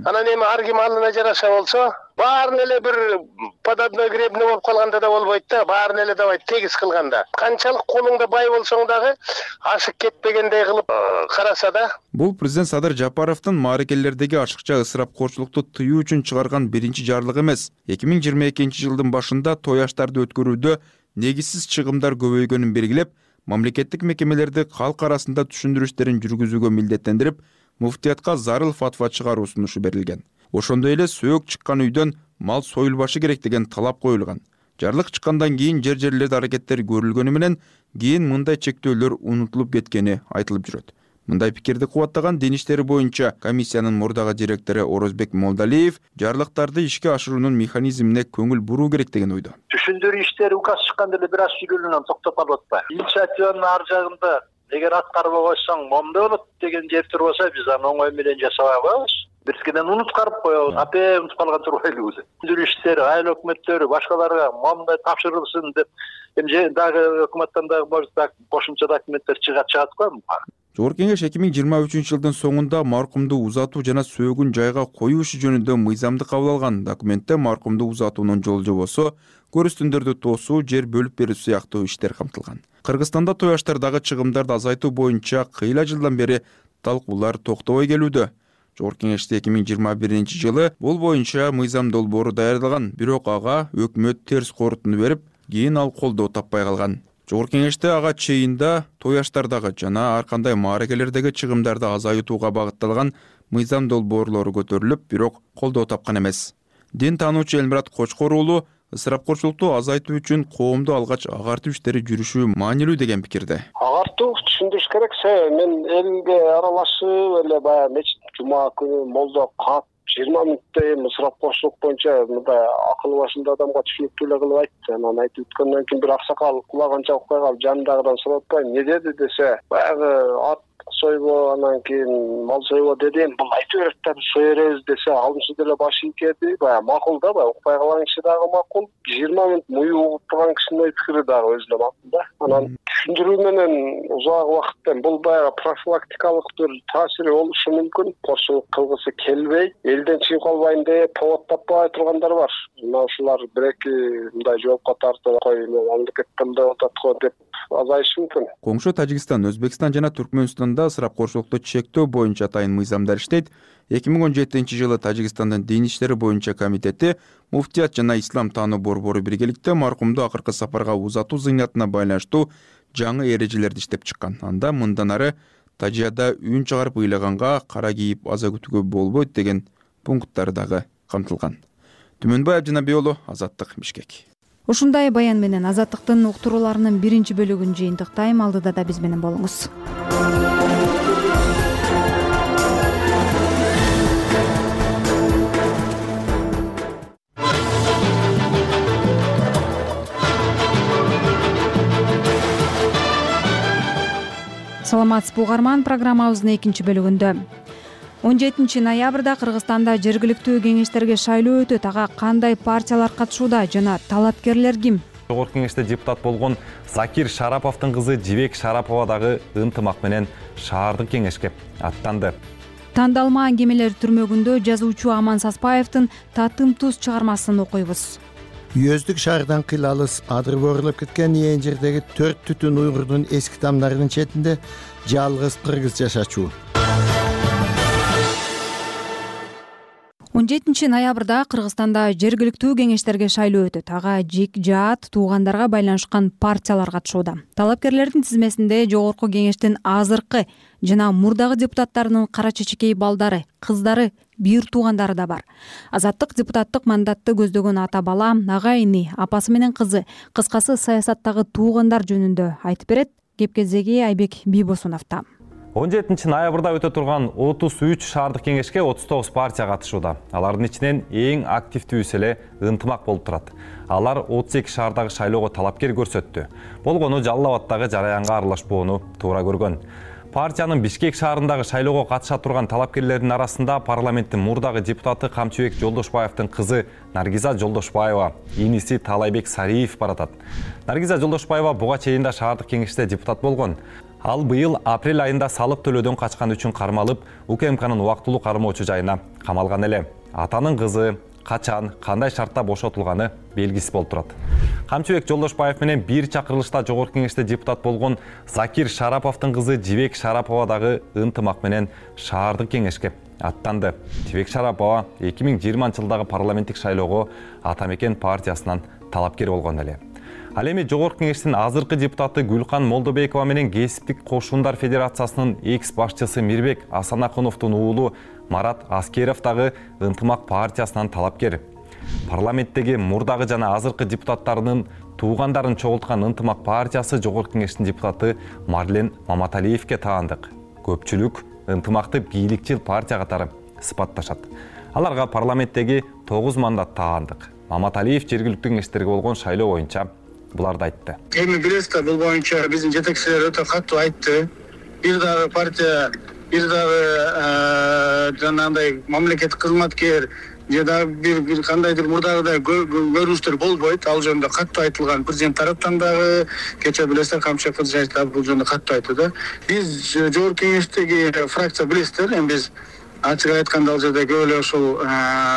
Анан эми ар ким алына жараша болсо, баарын эле бир подобной гребне болуп калганда да болбойт да. Баарын эле давай тегиз кылганда. Канчалык колуңда бай болсоң дагы ашык кетпегендей кылып караса да. Бул президент Садыр Жапаровдун мааракелердеги ашыкча ысырапкорчулукту тыюу үчүн чыгарган биринчи жарлыгы эмес. 2022-жылдын башында той аштарды өткөрүүдө негизсиз чыгымдар көбөйгөнүн белгилеп, мамлекеттик мекемелерди калк арасында түшүндүрүү иштерин жүргүзүүгө милдеттендирип, муфтиятка зарыл фатва чыгаруу сунушу берилген. Ошондой эле сөөк чыккан үйдөн мал союлбашы керек деген талап коюлган. Жарлык чыккандан кийин жерлерде аракеттер көрүлгөнү менен кийин мындай чектөөлөр унутулуп кеткени айтылып жүрөт. Мындай пикирди кубаттаган Дин иштери боюнча комиссиянын мурдагы директору Орозбек Молдалиев жарлыктарды ишке ашыруунун механизмине көңүл буруу керек деген ойдо. Түшүндүрүү иштери указ чыкканда эле бир аз сүйлөнүп токтоп калып атпайбы? Инициативанын ар жагында эгер аткарбай койсоң момундай болот деген жер турбаса, биз аны оңой менен жасабай коебуз. Биркиден унуткарып коебуз, унутуп калган турбайлыбыз. Түшүндүрүү иштери, айыл өкмөттөрү башкаларга момундай тапшырылсын деп, эми дагы өкмөттөн дагы может кошумча документтер чыгат го. Жогорку Кеңеш 2023 жылдын соңунда маркумду узатуу жана сөөгүн жайга коюу иши жөнүндө мыйзамды кабыл алган. Документте маркумду узатуунун жол жобосу, көрүстүндөрдү тоосуу, жер бөлүп берүү сыяктуу иштер камтылган. Кыргызстанда той аштардагы чыгымдарды азайтуу боюнча кыйла жылдан бери талкуулар токтобой келүүдө. Жогорку Кеңеште 2021 жылы бул боюнча мыйзам долбоору даярдалган, бирок ага өкмөт терс корутуну берип, кийин ал колдоо таппай калган. Жогорку Кеңеште ага чейинда той аштардагы жана ар кандай мааракелердеги чыгымдарды азайтууга багытталган мыйзам долбоорлору көтөрүлүп, бирок колдоо тапкан эмес. Дин таануучу Элмурат Кочкор уулу ысырапкорчулукту азайтуу үчүн коомду алгач агартуу иштери жүрүшү маанилүү деген пикирде. Агартуу түшүндүрүш керек. Мен элге аралашып эле баягы мечит жума күнү молдо кат 20 мүнөттөй ысырапкорчулук боюнча мындай акылы башында адамга түшүнүктүү эле кылып айтты. Анан айтып өткөндөн кийин бир аксакал кулаганча укпай калып, жанындагыдан сурап атпайм, эмне деди десе, баягы ат сойбо, анан кийин мал сойбо дедим, бул айта берет да, биз сой беребиз десе, алымсыз деле башы ийкеди. Баягы макул да, баягы укпай калган киши дагы макул. 20 мүнөт муй угуп турган кишинин ой пикири дагы өзүнө макул да. Анан түшүндүрүү менен узак убакыттан бул баягы профилактикалык бир таасири болушу мүмкүн. Кошулук кылгысы келбей, элден чыгып калбайын деп повод таппай тургандар бар. Мына ушулар бир-эки мындай жоопко тартып, кой мамлекеттен мындай атат го деп азайышы мүмкүн. Коңшу Тажикстан, Өзбекстан жана Түркмөнстанда ысырапкорчулукту чектөө боюнча атайын мыйзамдар иштейт. 2017 жылы Тажикстандын Дин иштери боюнча комитети муфтият жана ислам таануу борбору биргеликте маркумду акыркы сапарга узатуу зыйнатына байланыштуу жаңы эрежелерди иштеп чыккан. Анда мындан ары тажияда үн чыгарып ыйлаганга, кара кийип аза күтүүгө болбойт деген пункттары дагы камтылган. Түмөнбай Абдинабий уулу, Азаттык, Бишкек. Ушундай баян менен Азаттыктын уктурууларынын биринчи бөлүгүн жыйынтыктайм. Алдыда да биз менен болуңуз. Саламатсызбы угарман, программабыздын экинчи бөлүгүндө 17 ноябрда Кыргызстанда жергиликтүү кеңештерге шайлоо өтөт. Ага кандай партиялар катышууда жана талапкерлер ким? Жогорку Кеңеште депутат болгон Закир Шараповдун кызы Жибек Шарапова дагы ынтымак менен шаардык кеңешке аттанды. Тандалмаан кемелер түрмөгүндө жазуучу Аман Саспаевдин Татым туз чыгармасын окуйбуз. Үйөздүк шаардан кыйлалыс адыр борулуп кеткен ээн жердеги 4 түтүн уйгурдун эски тамдарынын четинде жалгыз кыргыз жашачу. 17 ноябрда Кыргызстанда жергиликтүү кеңештерге шайлоо өтөт. Ага жик жаат туугандарга байланышкан партиялар катышууда. Талапкерлердин тизмесинде Жогорку Кеңештин азыркы жана мурдагы депутаттарынын кара чечекей балдары, кыздары, бир туугандары да бар. Азаттык депутаттык мандатты көздөгөн ата бала, ага ини, апасы менен кызы, кыскасы саясаттагы туугандар жөнүндө айтып берет. Кепкездеги Айбек Бийбосуновдо. 17 ноябрда өтө турган 33 шаардык кеңешке 39 партия катышууда. Алардын ичинен эң активдүүсү эле ынтымак болуп турат. Алар 32 шаардагы шайлоого талапкер көрсөттү. Болгону Жалал Абаддагы жараянга аралашпоону туура көргөн. Партиянын Бишкек шаарындагы шайлоого катыша турган талапкерлердин арасында парламенттин мурдагы депутаты Камчыбек Жолдошбаевдин кызы Наргиза Жолдошбаева, иниси Талайбек Сариев баратат. Наргиза Жолдошбаева буга чейин да шаардык кеңеште депутат болгон. Ал быйыл апрель айында салык төлөөдөн качкан үчүн кармалып, УКМКнын убактылуу кармоочу жайына камалган эле. Атанын кызы качан, кандай шартта бошотулганы белгисиз болуп турат. Камчыбек Жолдошбаев менен бир чакырылышта Жогорку Кеңеште депутат болгон Закир Шараповдун кызы Жибек Шарапова дагы ынтымак менен шаардык кеңешке аттанды. Жибек Шарапова 2020 жылдагы парламенттик шайлоого Ата Мекен партиясынан талапкер болгон эле. Ал эми Жогорку Кеңештин азыркы депутаты Гүлкан Молдобекова менен Кесиптик кошундар федерациясынын экс башчысы Мирбек Асанакуновдун уулу Марат Аскеров дагы Ынтымак партиясынан талапкер. Парламенттеги мурдагы жана азыркы депутаттарынын туугандарын чогулткан Ынтымак партиясы Жогорку Кеңештин депутаты Марлен Маматалиевке таандык. Көпчүлүк Ынтымакты бийликчил партия катары сыпатташат. Аларга парламенттеги 9 мандат таандык. Маматалиев жергиликтүү кеңештерге болгон шайлоо боюнча буларды айтты. Эми билесиз, бул боюнча биздин жетекчилер өтө катуу айтты. Бир дагы партия, бир дагы жанагындай мамлекеттик кызматкер же да бир кандайдыр мурдагыдай көрүнүштөр болбойт. Ал жөнүндө катуу айтылган президент тараптан дагы, кечээ билесиздер, Камчы Кызжаев да бул жөнүндө катуу айтты да. Биз Жогорку Кеңештеги фракция билесиздер, эми биз ачык айтканда ал жерде көп эле ушул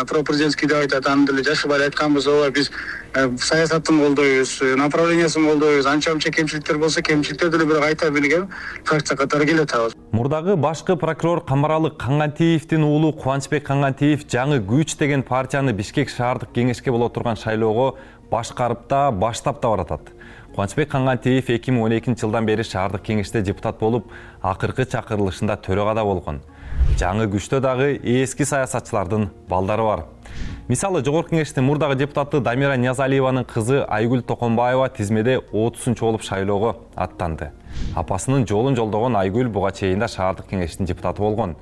пропрезидентский деп айтат, аны деле жашыбай айтканбыз. Ооба, биз саясатын колдойбуз, направлениясын колдойбуз. Анча-мынча кемчиликтер болсо, кемчиликтерди деле бирок айта билген фракция катары келатабыз. Мурдагы башкы прокурор Камаралы Кангантиевдин уулу Кубанычбек Кангантиев жаңы күч деген партияны Бишкек шаардык кеңешке боло турган шайлоого башкарып да, баштап да баратат. Кубанычбек Кангантиев 2012-жылдан бери шаардык кеңеште депутат болуп, акыркы чакырылышында төрагада болгон. Жаңы күчтө дагы эски саясатчылардын балдары бар. Мисалы, Жогорку Кеңештин мурдагы депутаты Дамира Ниязалиеванын кызы Айгүл Токонбаева тизмеде 30-чу болуп шайлоого аттанды. Апасынын жолун жолдогон Айгүл буга чейин да шаардык кеңештин депутаты болгон.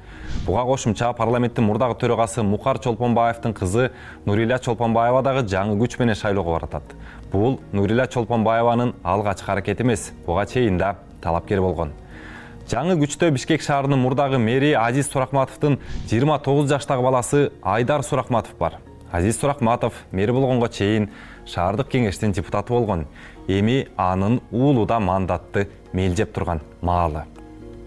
Буга кошумча парламенттин мурдагы төрагасы Мукар Чолпонбаевдин кызы Нурила Чолпонбаева дагы жаңы күч менен шайлоого баратат. Бул Нурила Чолпонбаеванын алгачкы аракети эмес, буга чейин да талапкер болгон. Жаңы күчтө Бишкек шаарынын мурдагы мэри Азиз Суракматовдун 29 жаштагы баласы Айдар Суракматов бар. Азиз Суракматов мэри болгонго чейин шаардык кеңештин депутаты болгон. Эми анын уулу да мандатты мелжеп турган маалы.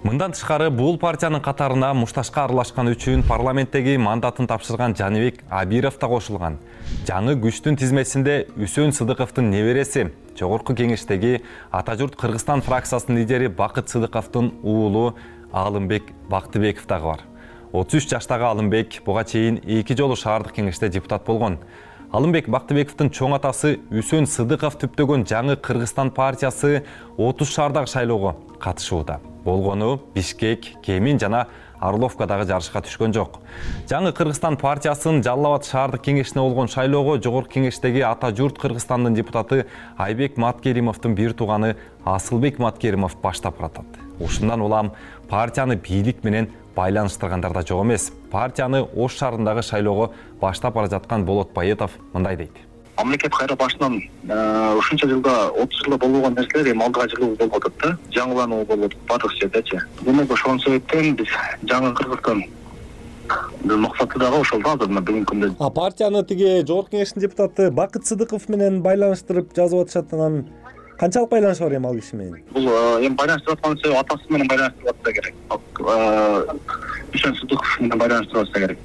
Мындан тышкары бул партиянын катарына мушташка аралашкан үчүн парламенттеги мандатын тапшырган Жаныбек Абиров да кошулган. Жаңы күчтүн тизмесинде Үсөн Сыдыковдун небереси, Жогорку Кеңештеги Ата журт Кыргызстан фракциясынын лидери Бакыт Сыдыковдун уулу Алымбек Бактыбеков дагы бар. 33 жаштагы Алымбек буга чейин 2 жолу шаардык кеңеште депутат болгон. Алымбек Бактыбековдун чоң атасы Үсөн Сыдыков түптөгөн жаңы Кыргызстан партиясы 30 шаардагы шайлоого катышууда. Болгону Бишкек, Кемин жана Орловкадагы жарышка түшкөн жок. Жаңы Кыргызстан партиясынын Жалал Абад шаардык кеңешине болгон шайлоого Жогорку Кеңештеги Ата журт Кыргызстандын депутаты Айбек Маткеримовдун бир тууганы Асылбек Маткеримов баштап баратат. Ушундан улам партияны бийлик менен байланыштыргандар да жок эмес. Партияны Ош шаарындагы шайлоого баштап бара жаткан Болот Байетов мындай дейт. Мамлекет кайра башынан ушунча жылда 30 жылда болбогон нерселер эми алдыга жылуу болуп атат да. Жаңылануу болуп атат баардык жердечи. Демек ошол себептен биз жаңы Кыргызстан максаты дагы ошол да азыр бүгүнкү күндө. Партияны тиги Жогорку Кеңештин депутаты Бакыт Сыдыков менен байланыштырып жазып атышат. Анан канчалык байланыш бар эми ал киши менен? Бул эми байланыштырып аткан себеби атасы менен байланыштырып атса керек. Үсөн Сыдыков менен байланыштырып атса керек.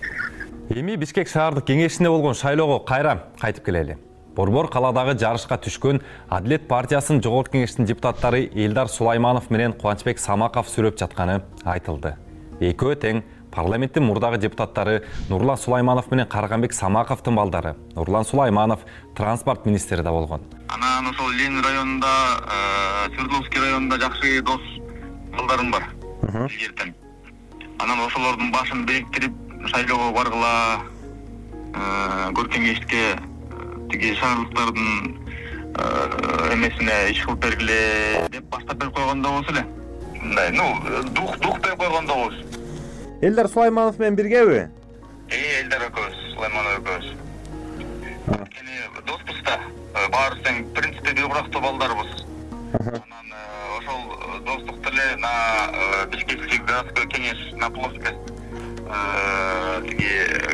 Эми Бишкек шаардык кеңешине болгон шайлоого кайра кайтып келели. Борбор каладагы жарышка түшкөн Адилет партиясынын Жогорку Кеңештин депутаттары Элдар Сулайманов менен Кубанычбек Самаков сүрөп жатканы айтылды. Экөө тең парламенттин мурдагы депутаттары Нурлан Сулайманов менен Карганбек Самаковдун балдары. Нурлан Сулайманов транспорт министри да болгон. Анан ошол Ленин районунда, Свердловский районунда жакшы дос балдарым бар. Анан ошолордун башын бириктирип шайлоого баргыла, Көркеңешке тиги шаардыктардын эмесине иш кылып бергиле деп баштап берип койгондо болсо эле. Мындай, дух деп койгондо болсо. Элдар Сулайманов менен биргеби? Элдар экөөбүз, Сулайманов экөөбүз. Кени доспуз да, баарыбыз тең принципте бир бурактуу балдарбыз. Анан ошол достук деле на Бишкекский городской кеңеш на плоскость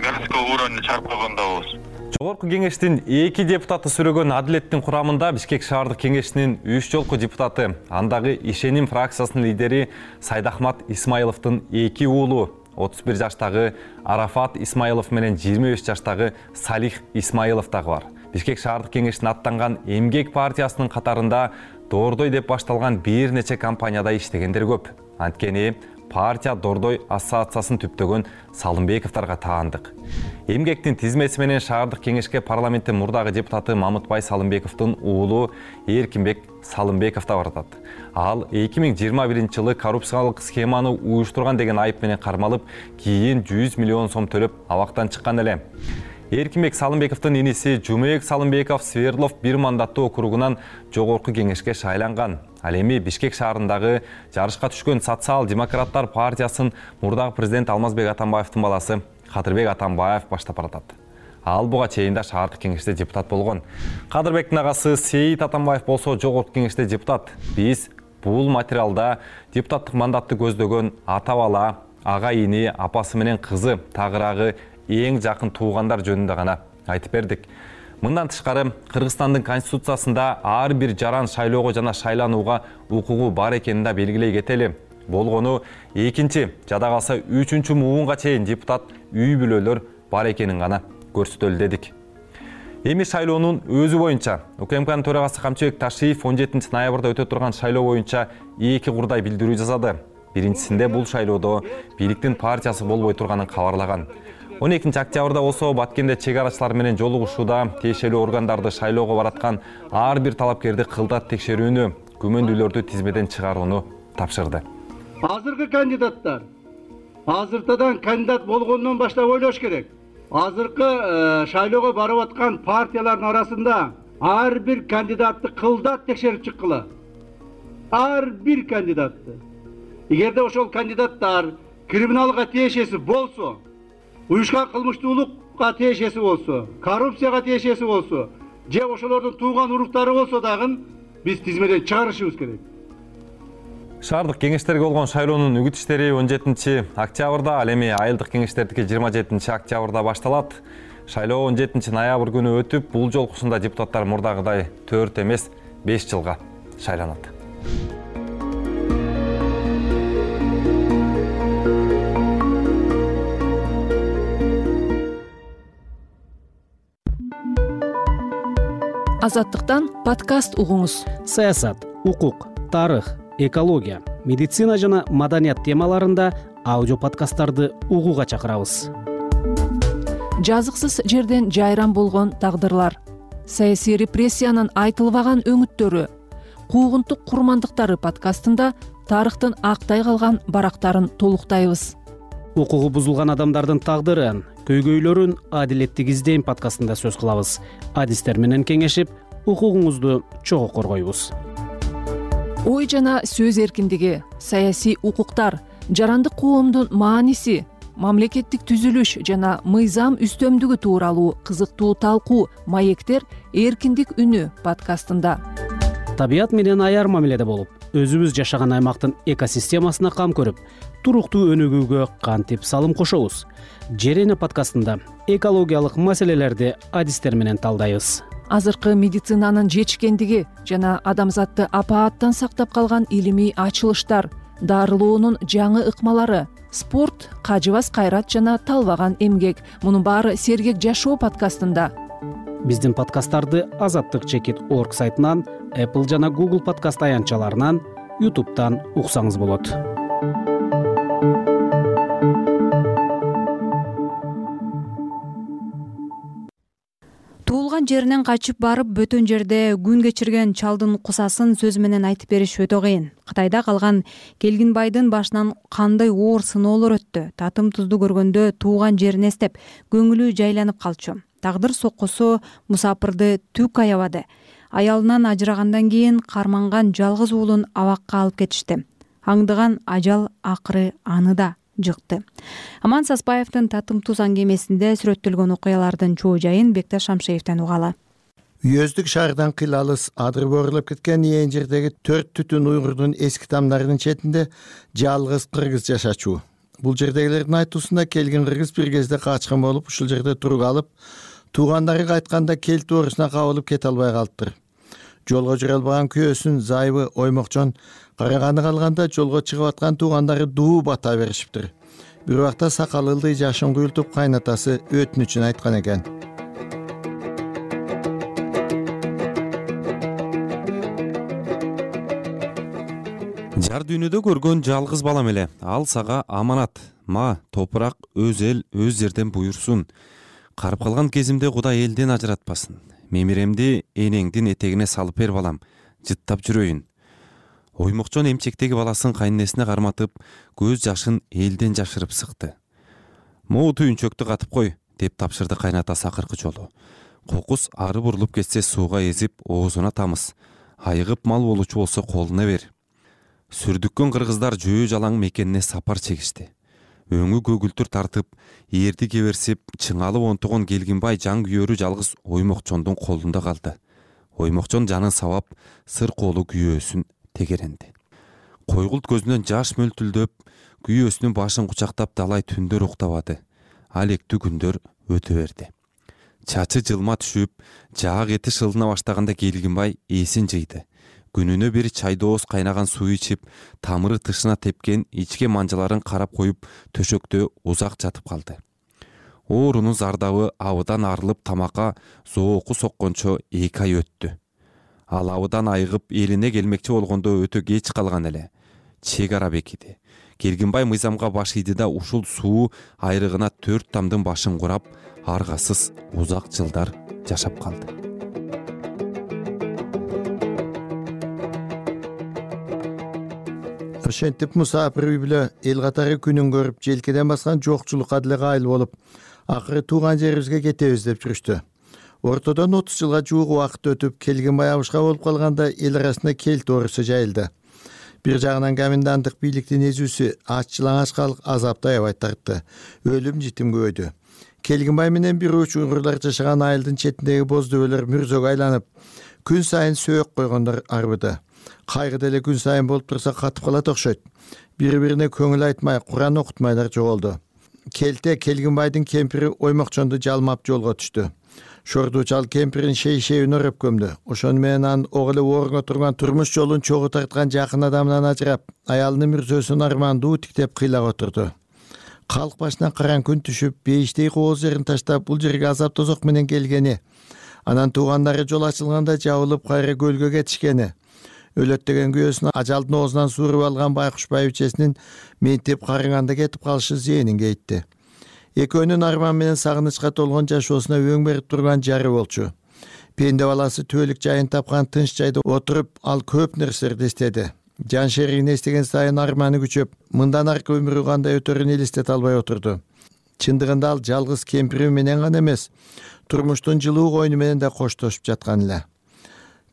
городской уровня чыгарып койгондо болсо. Жогорку Кеңештин 2 депутаты сүрөгөн Адилеттин курамында Бишкек шаардык кеңешинин 3 жолку депутаты, андагы Ишеним фракциясынын лидери Сайдахмат Исмаиловдун 2 уулу, 31 жаштагы Арафат Исмаилов менен 25 жаштагы Салих Исмаилов дагы бар. Бишкек шаардык кеңешине аттанган Эмгек партиясынын катарында доордой деп башталган бир нече компанияда иштегендер көп. Анткени партия Дордой ассоциациясын түптөгөн Салымбековдорго таандык. Эмгектин тизмеси менен шаардык кеңешке парламенттин мурдагы депутаты Мамытбай Салымбековдун уулу Эркинбек Салымбеков да баратат. Ал 2021-жылы коррупциялык схеманы уюштурган деген айып менен кармалып, кийин 100 миллион сом төлөп абактан чыккан эле. Эркинбек Салымбековдун иниси Жумек Салымбеков Свердлов 1 мандаттуу округунан жогорку кеңешке шайланган. Ал эми Бишкек шаарындагы жарышка түшкөн Социал-демократтар партиясын мурдагы президент Алмазбек Атамбаевдин баласы Кадырбек Атамбаев баштап баратат. Ал буга чейин да шаардык кеңеште депутат болгон. Кадырбектин агасы Сейит Атамбаев болсо жогорку кеңеште депутат. Биз бул материалда депутаттык мандатты көздөгөн ата-бала, ага-ини, апасы менен кызы, тагыраагы эң жакын туугандар жөнүндө гана айтып бердик. Мындан тышкары Кыргызстандын конституциясында ар бир жаран шайлоого жана шайланууга укугу бар экенин да белгилей кетели. Болгону 2-чи, жада калса 3-чү муунга чейин депутат үй бүлөлөр бар экенин гана көрсөтөлү дедик. Эми шайлоонун өзү боюнча УКМКнын төрагасы Камчыбек Ташиев 17 ноябрда өтө турган шайлоо боюнча 2 курдай билдирүү жасады. Биринчисинде бул шайлоодо бийликтин партиясы болбой турганын кабарлаган. 12 октябрда болсо Баткенде чек арачылар менен жолугушууда тиешелүү органдарды шайлоого бараткан ар бир талапкерди кылдат текшерүүнү, күмөндүүлөрдү тизмеден чыгарууну тапшырды. Азыркы кандидаттар азыртадан кандидат болгондон баштап ойлош керек. Азыркы шайлоого барып аткан партиялардын арасында ар бир кандидатты кылдат текшерип чыккыла. Ар бир кандидатты. Эгерде ошол кандидаттар криминалга тиешеси болсо, уюшкан кылмыштуулукка тиешеси болсо, коррупцияга тиешеси болсо, же ошолордун тууган уруктары болсо дагы биз тизмеден чыгарышыбыз керек. Шаардык кеңештерге болгон шайлоонун үгүт иштери 17 октябрда, ал эми айылдык кеңештердики 27 октябрда башталат. Шайлоо 17 ноябрь күнү өтүп, бул жолкусунда депутаттар мурдагыдай 4 эмес 5 жылга шайланат. Азаттыктан подкаст угуңуз. Саясат, укук, тарых, экология, медицина жана маданият темаларында аудио подкасттарды угууга чакырабыз. Жазыксыз жерден жайран болгон тагдырлар, саясий репрессиянын айтылбаган өңүттөрү, куугунтук курмандыктары подкастында тарыхтын актай калган барактарын толуктайбыз. Укугу бузулган адамдардын тагдырын, көйгөйлөрүн адилеттик издейм подкастында сөз кылабыз. Адистер менен кеңешип, укугуңузду чогуу коргойбуз. Ой жана сөз эркиндиги, саясий укуктар, жарандык коомдун мааниси, мамлекеттик түзүлүш жана мыйзам үстөмдүгү тууралуу кызыктуу талкуу маектер эркиндик үнү подкастында. Табият менен аяр мамиледе болуп, өзүбүз жашаган аймактын экосистемасына кам көрүп, туруктуу өнүгүүгө кантип салым кошобуз. Жерене подкастында экологиялык маселелерди адистер менен талдайбыз. Азыркы медицинанын жетишкендиги жана адамзатты апааттан сактап калган илимий ачылыштар, дарылоонун жаңы ыкмалары, спорт, кажыбас кайрат жана талбаган эмгек. Мунун баары Сергек жашоо подкастында. Биздин подкасттарды azattik.org сайтынан, Apple жана Google подкаст аянтчаларынан, YouTube'дан уксаңыз болот. Туулган жеринен качып барып бөтөн жерде күн кечирген чалдын кусасын сөз менен айтып бериш өтө кыйын. Кытайда калган Келгинбайдын башынан кандай оор сыноолор өттү. Татым тузду көргөндө тууган жерин эстеп, көңүлү жайланып калчу. Тагдыр соккусу мусапырды түк аябады. Аялынан ажырагандан кийин карманган жалгыз уулун абакка алып кетишти. Аңдыган ажал акыры аны да жыкты. Аман Саспаевдин Татым туз аңгемесинде сүрөттөлгөн окуялардын чоо жайын Бекташ Шамшеевден угалы. Үйөздүк шаардан кыйлалыс адыр борулуп кеткен ээн жердеги 4 түтүн уйгурдун эски тамдарынын четинде жалгыз кыргыз жашачу. Бул жердегилердин айтуусунда келген кыргыз бир кезде качкан болуп, ушул жерде турук алып, туугандары кайтканда келт оорусуна кабылып кете албай калыптыр. Жолго жүрө албаган күйөөсүн Зайыбы Оймокчон караганы калганда жолго чыгып аткан туугандары дуу бата беришиптир. Бир убакта сакал ылдый жашын куйултуп кайнатасы өтүнүчүн айткан экен. Жар дүйнөдө көргөн жалгыз балам эле. Ал сага аманат. Ма топурак өз эл, өз жерден буйрсун. Карып калган кезимде Кудай элден ажыратпасын. Мемиремди энеңдин этегине салып бер балам. Жыттап жүрөйүн. Оймокчон эмчектеги баласын кайнесине карматып, көз жашын элден жашырып сыкты. Могу түйүнчөктү катып кой, деп тапшырды кайнатасы акыркы жолу. Кокус ары бурулуп кетсе сууга эзип, оозуна тамыз. Айыгып мал болучу болсо колуна бер. Сүрдүккөн кыргыздар жөө жалаң мекенине сапар чегишти. Өңү көгүлтүр тартып, эрди кеберсип, чыңалып онтогон Келгинбай жан күйөрү жалгыз Оймокчондун колунда калды. Оймокчон жанын сабап, сыр колу күйөөсүн тегеренди. Койгулт көзүнөн жаш мөлтүлдөп, күйөөсүнүн башын кучактап далай түндөр уктабады. Алектүү күндөр өтө берди. Чачы жылма түшүп, жаак эти шылына баштаганда Келгинбай эсин жыйды. Күнүнө бир чайдооз кайнаган суу ичип, тамыры тышына тепкен ичке манжаларын карап коюп, төшөктө узак жатып калды. Оорунун зардабы абыдан арылып тамакка зооку соккончо 2 ай өттү. Ал абыдан айыгып элине келмекчи болгондо өтө кеч калган эле. Чек ара бекиди. Келгинбай мыйзамга баш ийди да ушул суу айрыгына 4 тамдын башын курап, аргасыз узак жылдар жашап калды. Ошентип мусапир үй бүлө эл катары күнүн көрүп, желкеден баскан жокчулукка деле кайыл болуп, акыры тууган жерибизге кетебиз деп жүрүштү. Ортодон 30 жылга жуук убакыт өтүп, Келгинбай абышка болуп калганда эл арасында келт оорусу жайылды. Бир жагынан коменданттык бийликтин эзүүсү аччылаңач калк азапты аябай тартты. Өлүм житим көбөйдү. Келгинбай менен бир уч уйгурлар жашаган айылдын четиндеги боз дөбөлөр мүрзөгө айланып, күн сайын сөөк койгондор арбыды. Кайгы деле күн сайын болуп турса катып калат окшойт. Бири-бирине көңүл айтмай, Куран окутмайлар жоголду. Келте Келгинбайдын кемпири Оймокчонду жалмап жолго түштү. Шордуу чал кемпирин шей-шейин өрөп көмдү. Ошону менен анын ок эле орунга турган турмуш жолун чогуу тарткан жакын адамынан ажырап, аялынын мүрзөсүн армандуу тиктеп кыйлап отурду. Калк башынан караң күн түшүп, бейиштей кооз жерин таштап, бул жерге азап тозок менен келгени, анан туугандары жол ачылганда жабылып кайра көлгө кетишкени, өлөт деген күйөөсүн ажалдын оозунан suurуп алган байкуш байбичесинин ментип карыганда кетип калышы зээнин кейитти. Экөөнүн арман менен сагынычка толгон жашоосуна өң берип турган жары болчу. Пенде баласы түбөлүк жайын тапкан тынч жайда отуруп, ал көп нерселерди эстеди. Жан шеригин эстеген сайын арманы күчөп, мындан аркы өмүрү кандай өтөрүн элестете албай отурду. Чындыгында ал жалгыз кемпири менен гана эмес, турмуштун жылуу койну менен да коштошуп жаткан эле.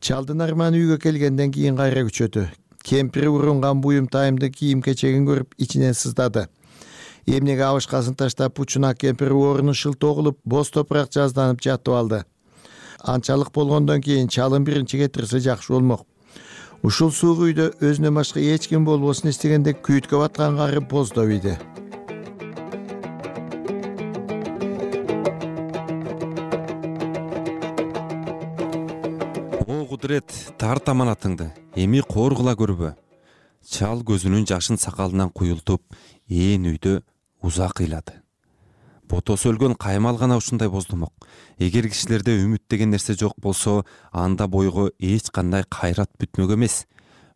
Чалдын арманы үйгө келгенден кийин кайра күчөдү. Кемпири урунган буюм тайымды кийим-кечегин көрүп ичинен сыздады. Эмнеге абышкасын таштап, учуна кемпири оруну шылтоо кылып, боз топурак жазданып жатып алды. Анчалык болгондон кийин чалын биринчи кетирсе жакшы болмок. Ушул суук үйдө өзүнөн башка эч ким болбосун эстегенде күйүткө баткан кары боздоп ийди. О кудурет, тарт аманатыңды, эми коргула көрбө. Чал көзүнүн жашын сакалынан куюлтуп, ээн үйдө узак ыйлады. Ботосу өлгөн каймал гана ушундай боздомок. Эгер кишилерде үмүт деген нерсе жок болсо, анда бойго эч кандай кайрат бүтмөк эмес.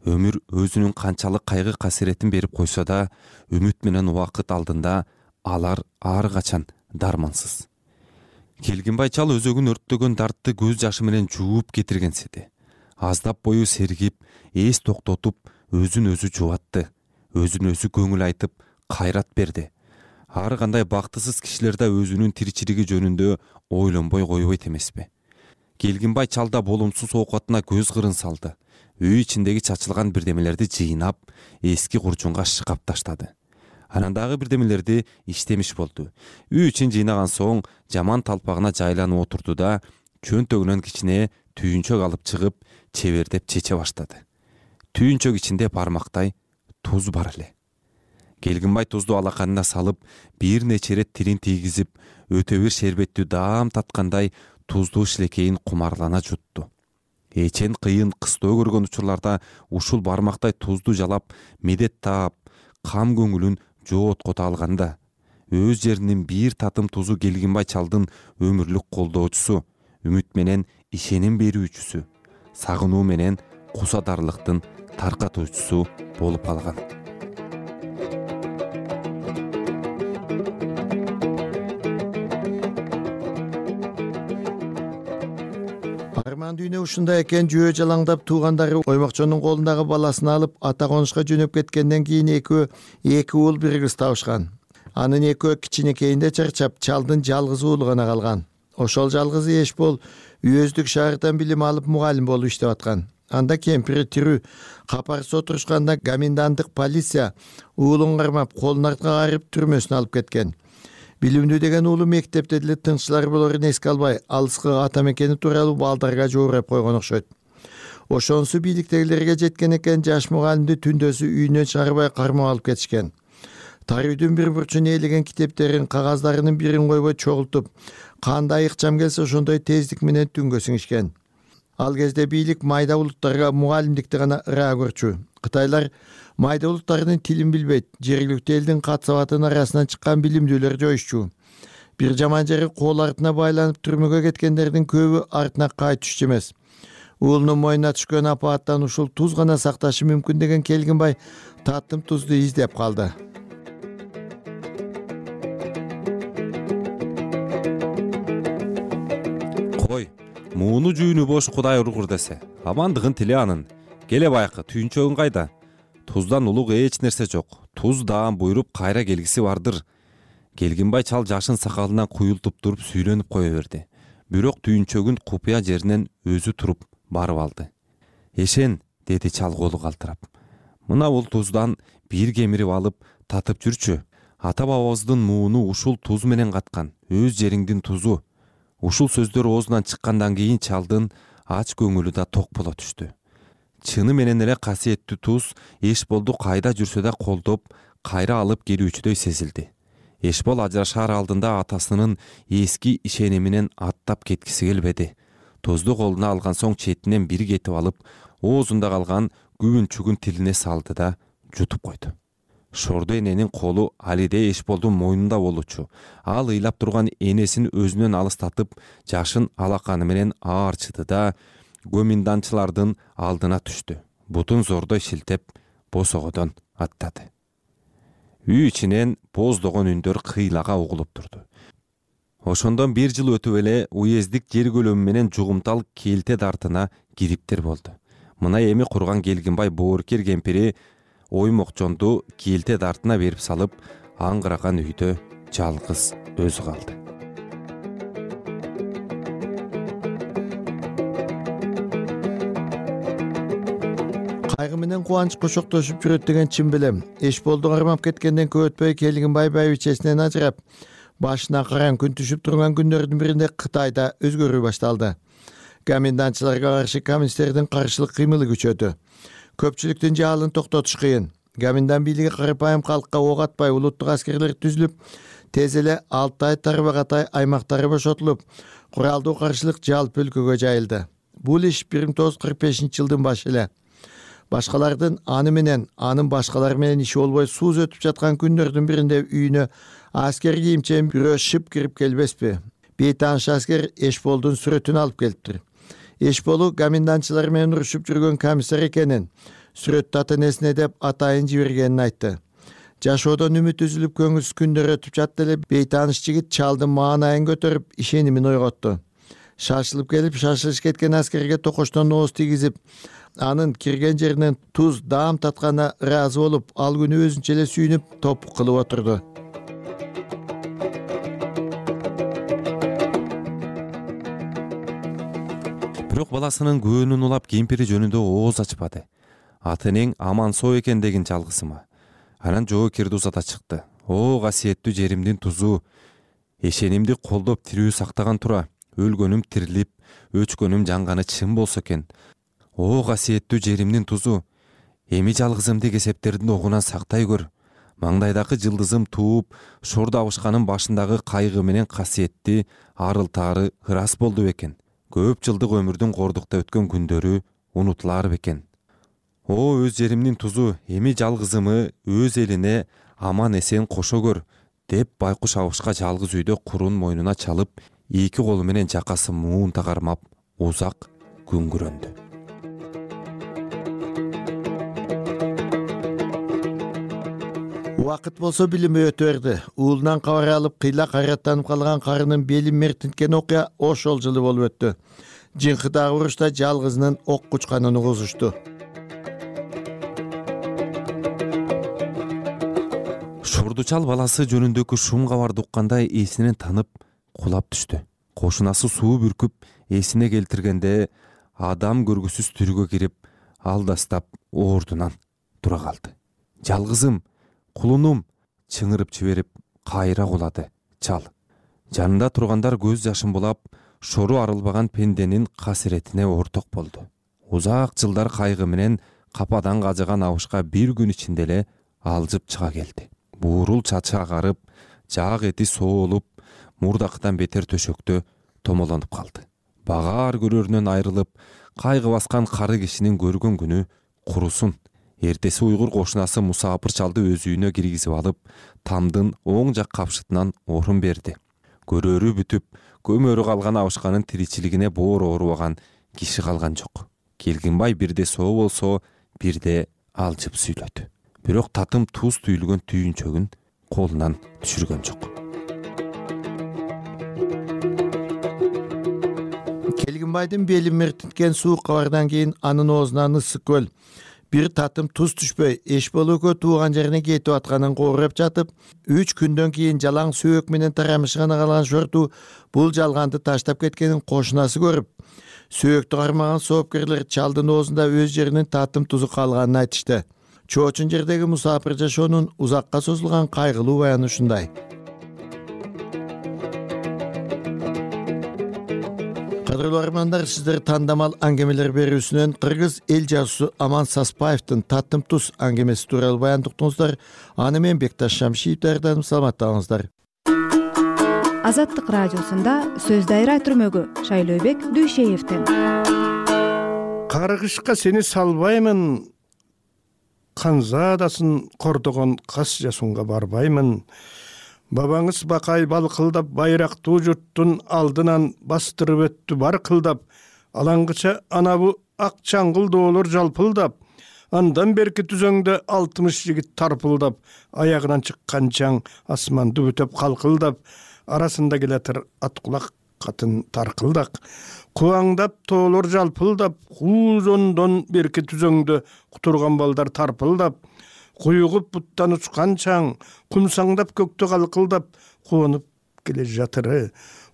Өмүр өзүнүн канчалык кайгы касиретин берип койсо да, үмүт менен убакыт алдында алар ар качан дармансыз. Келгинбай чал өзөгүн өрттөгөн дартты көз жашы менен жууп кетиргенсиди. Аздап бою сергип, эс токтотуп, өзүн өзү жубатты. Өзүн өзү көңүл айтып, кайрат берди. Ар кандай бактысыз кишилер да өзүнүн тиричилиги жөнүндө ойлонбой койбойт эмеспи. Келгинбай чалда болумсуз оокатына көз кырын салды. Үй ичиндеги чачылган бирдемелерди жыйнап, эски курчунга шыкап таштады. Анан дагы бирдемелерди иштемиш болду. Үй ичин жыйнаган соң жаман талпагына жайланып отурду да, чөнтөгүнөн кичине түйүнчөк алып чыгып, чебердеп чече баштады. Түйүнчөк ичинде бармактай туз бар эле. Келгинбай тузду алаканына салып, бир нече ирет тилин тийгизип, өтө бир шербеттүү даам таткандай туздуу шилекейин кумарлана жутту. Эчен кыйын кыстоо көргөн учурларда ушул бармактай тузду жалап, медет таап, кам көңүлүн жооткото алганда, өз жеринин бир татым тузу Келгинбай чалдын өмүрлүк колдоочусу, үмүт менен ишеним берүүчүсү, сагынуу менен кусадарлыктын таркатуучусу болуп калган. Арман дүйнө ушундай экен. Жөө жалаңдап туугандары Оймокчонун колундагы баласын алып ата конушка жөнөп кеткенден кийин эки уул бир кыз табышкан. Анын экөө кичинекейинде чарчап, чалдын жалгыз уулу гана калган. Ошол жалгызы Эшбол үйөздүк шаардан билим алып мугалим болуп иштеп аткан. Анда кемпири тирүү капарсы отурушканда коменданттык полиция уулун кармап, колун артка кайрып түрмөсүнө алып кеткен. Билимдүү деген уулу мектепте деле тынччылар болорун эске албай, алыскы ата мекени тууралуу балдарга жоорап койгон окшойт. Ошонусу бийликтегилерге жеткен экен, жаш мугалимди түндөсү үйүнөн чыгарбай кармап алып кетишкен. Тарыйдын бир бурчуна ээлеген китептерин, кагаздарынын бирин койбой чогултуп, кандай ыкчам келсе ошондой тездик менен түнгө сиңишкен. Ал кезде бийлик майда улуттарга мугалимдикти гана ыраа көрчү. Кытайлар майда улуттарынын тилин билбейт, жергиликтүү элдин кат-сабатынын арасынан чыккан билимдүүлөр жоюшчу. Бир жаман жери кол артына байланып түрмөгө кеткендердин көбү артына кайтышчу эмес. Уулунун мойнуна түшкөн апааттан ушул туз гана сакташы мүмкүн деген Келгинбай татым тузду издеп калды. Мууну жүүнү бош Кудай ургур десе, амандыгын тиле анын. Келе байкы, түйүнчөгүн кайда? Туздан улук эч нерсе жок. Туз даам буйруп кайра келгиси бардыр. Келгинбай чал жашын сакалынан куюлтуп туруп сүйлөнүп кое берди. Бирок түйүнчөгүн купуя жеринен өзү туруп барып алды. Эшен, деди чал колу калтырап. Мына бул туздан бир кемирип алып татып жүрчү. Ата бабабыздын мууну ушул туз менен каткан. Өз жериңдин тузу. Ушул сөздөр оозунан чыккандан кийин чалдын ач көңүлү да ток боло түштү. Чыны менен эле касиеттүү туз Эшболду кайда жүрсө да колдоп, кайра алып келүүчүдөй сезилди. Эшбол ажырашаар алдында атасынын эски ишениминен аттап кеткиси келбеди. Тузду колуна алган соң четинен бир кетип алып, оозунда калган күбүн-чүгүн тилине салды да жутуп койду. Шорду эненин колу алиде Эшболдун мойнунда болчу. Ал ыйлап турган энесин өзүнөн алыстатып, жашын алаканы менен аарчыды да гоминданчылардын алдына түштү. Бутун зордой шилтеп, босогодон аттады. Үй ичинен боздогон үндөр кыйлага угулуп турду. Ошондон бир жыл өтүп эле уездик жер көлөмү менен жугумтал келте дартына кириптер болду. Мына эми курган Келгинбай боорукер кемпири Оймокчонду келте дартына берип салып, аңгыраган үйдө жалгыз өзү калды. Кайгы менен кубанч кошоктошуп жүрөт деген чын билем. Эшболду кармап кеткенден көп өтпөй Келгинбай байбичесинен ажырап, башына караң күн түшүп турган күндөрдүн биринде Кытайда өзгөрүү башталды. Комендантчыларга каршы коммунисттердин каршылык кыймылы күчөдү. Көпчүлүктүн жаалын токтотуш кыйын. Комендант бийлиги карапайым калкка ок атпай улуттук аскерлер түзүлүп, тез эле Алтай, Тарбагатай аймактары бошотулуп, куралдуу каршылык жалпы өлкөгө жайылды. Бул иш 1945-жылдын башы эле. Башкалардын аны менен, анын башкалар менен иши болбой сууз өтүп жаткан күндөрдүн биринде үйүнө аскер кийимчен бирөө шып кирип келбеспи? Бейтааныш аскер Эшболдун сүрөтүн алып келиптир. Эшболу комендантчылар менен урушуп жүргөн комиссар экенин, сүрөттү ата-энесине деп атайын жибергенин айтты. Жашоодон үмүт үзүлүп көңүлсүз күндөр өтүп жатты эле бейтааныш жигит чалдын маанайын көтөрүп, ишенимин ойготту. Шашылып келип, шашылыш кеткен аскерге токоштон ооз тийгизип, анын кирген жеринен туз даам татканына ыраазы болуп, ал күнү өзүнчө эле сүйүнүп, топук кылып отурду. Бирок баласынын көөнүн улап кемпири жөнүндө ооз ачпады. Атынын аман соо экендигин жалгысыма. Анан жоокерди узата чыкты. О, касиеттүү жеримдин тузу. Эшенимди колдоп тирүү сактаган тура. Өлгөнүм тирилип, өчкөнүм жанганы чын болсо экен. О, касиеттүү жеримдин тузу. Эми жалгызымды кесептердин огунан сактай көр. Маңдайдагы жылдызым тууп, шорду абышканын башындагы кайгы менен касиетти арыл-тары ырас болду бекен. Көп жылдык өмүрдүн кордукта өткөн күндөрү унутулар бекен. О, өз жеримдин тузу, эми жалгызымы өз элине аман эсен кошо көр, деп байкуш абышка жалгыз үйдө курун мойнуна чалып, эки колу менен жакасы муунта кармап, узак күңгүрөндү. Убакыт болсо билим өтө берди. Уулунан кабар алып кыйла кайраттанып калган карынын белин мертинткен окуя ошол жылы болуп өттү. Жыңкыдагы урушта жалгызынын ок кучканын угузушту. Шордучал баласы жөнүндөгү шум кабарды укканда эсинен танып кулап түштү. Кошунасы суу бүркүп эсине келтиргенде адам көргүсүз түргө кирип алдастап ордунан тура калды. Жалгызым, кулунум, чыңырып жиберип кайра кулады чал. Жанында тургандар көз жашын булап, шору арылбаган пенденин касиретине орток болду. Узак жылдар кайгы менен кападан кажыган абышка бир күн ичинде эле алжып чыга келди. Буурул чачы агарып, жаак эти соолуп, мурдакыдан бетер төшөктө томолонуп калды. Багаар көрөрүнөн айрылып, кайгы баскан кары кишинин көргөн күнү курусун. Эртеси уйгур кошунасы Мусапыр чалды өз үйүнө киргизип алып, тамдын оң жак капшытынан орун берди. Көрөрү бүтүп, көмөрү калган абышканын тиричилигине боор оорубаган киши калган жок. Келгинбай бирде соо болсо, бирде алжып сүйлөдү. Бирок татым туз түйүлгөн түйүнчөгүн колунан түшүргөн жок. Келгинбайдын белин мертинткен суук кабардан кийин анын оозунан ысык көл бир татым туз түшпөй эч болуукө тууган жерине кетип атканын коореп жатып, 3 күндөн кийин жалаң сөөк менен тарамышына калган шорту бул жалганды таштап кеткенин кошунасы көрүп, сөөктү кармаган соопкерлер чалдын оозунда өз жеринин татым тузу калганын айтышты. Чоочун жердеги Мусапыр жашоонун узакка созулган кайгылуу баяны ушундай. Кадырлуу армандар, сиздер тандамал аңгемелер берүүсүнөн кыргыз эл жазуусу Аман Саспаевдин Татым туз аңгемеси тууралуу баян уктуңуздар. Аны мен Бекташ Шамшиев даярдадым. Саламаттаңыздар. Азаттык радиосунда сөз дайра түрмөгү Шайлообек Дүйшеевдин. Каргышка сени салбаймын, канзаадасын кордогон кас жасунга барбаймын. Бабаңыз бакай балкылдап байрактуу журттун алдынан бастырып өттү баркылдап, алаңгыча анабу ак чаңгыл доолор жалпылдап, андан берки түзөңдө 60 жигит тарпылдап, аягынан чыккан чаң асманды бүтөп калкылдап, арасында келатыр ат кулак катын таркылдак, кубаңдап тоолор жалпылдап, куузондон берки түзөңдө кутурган балдар тарпылдап, куюгуп буттан учкан чаң, кумсаңдап көктө калкылдап, куонуп келе жатыры,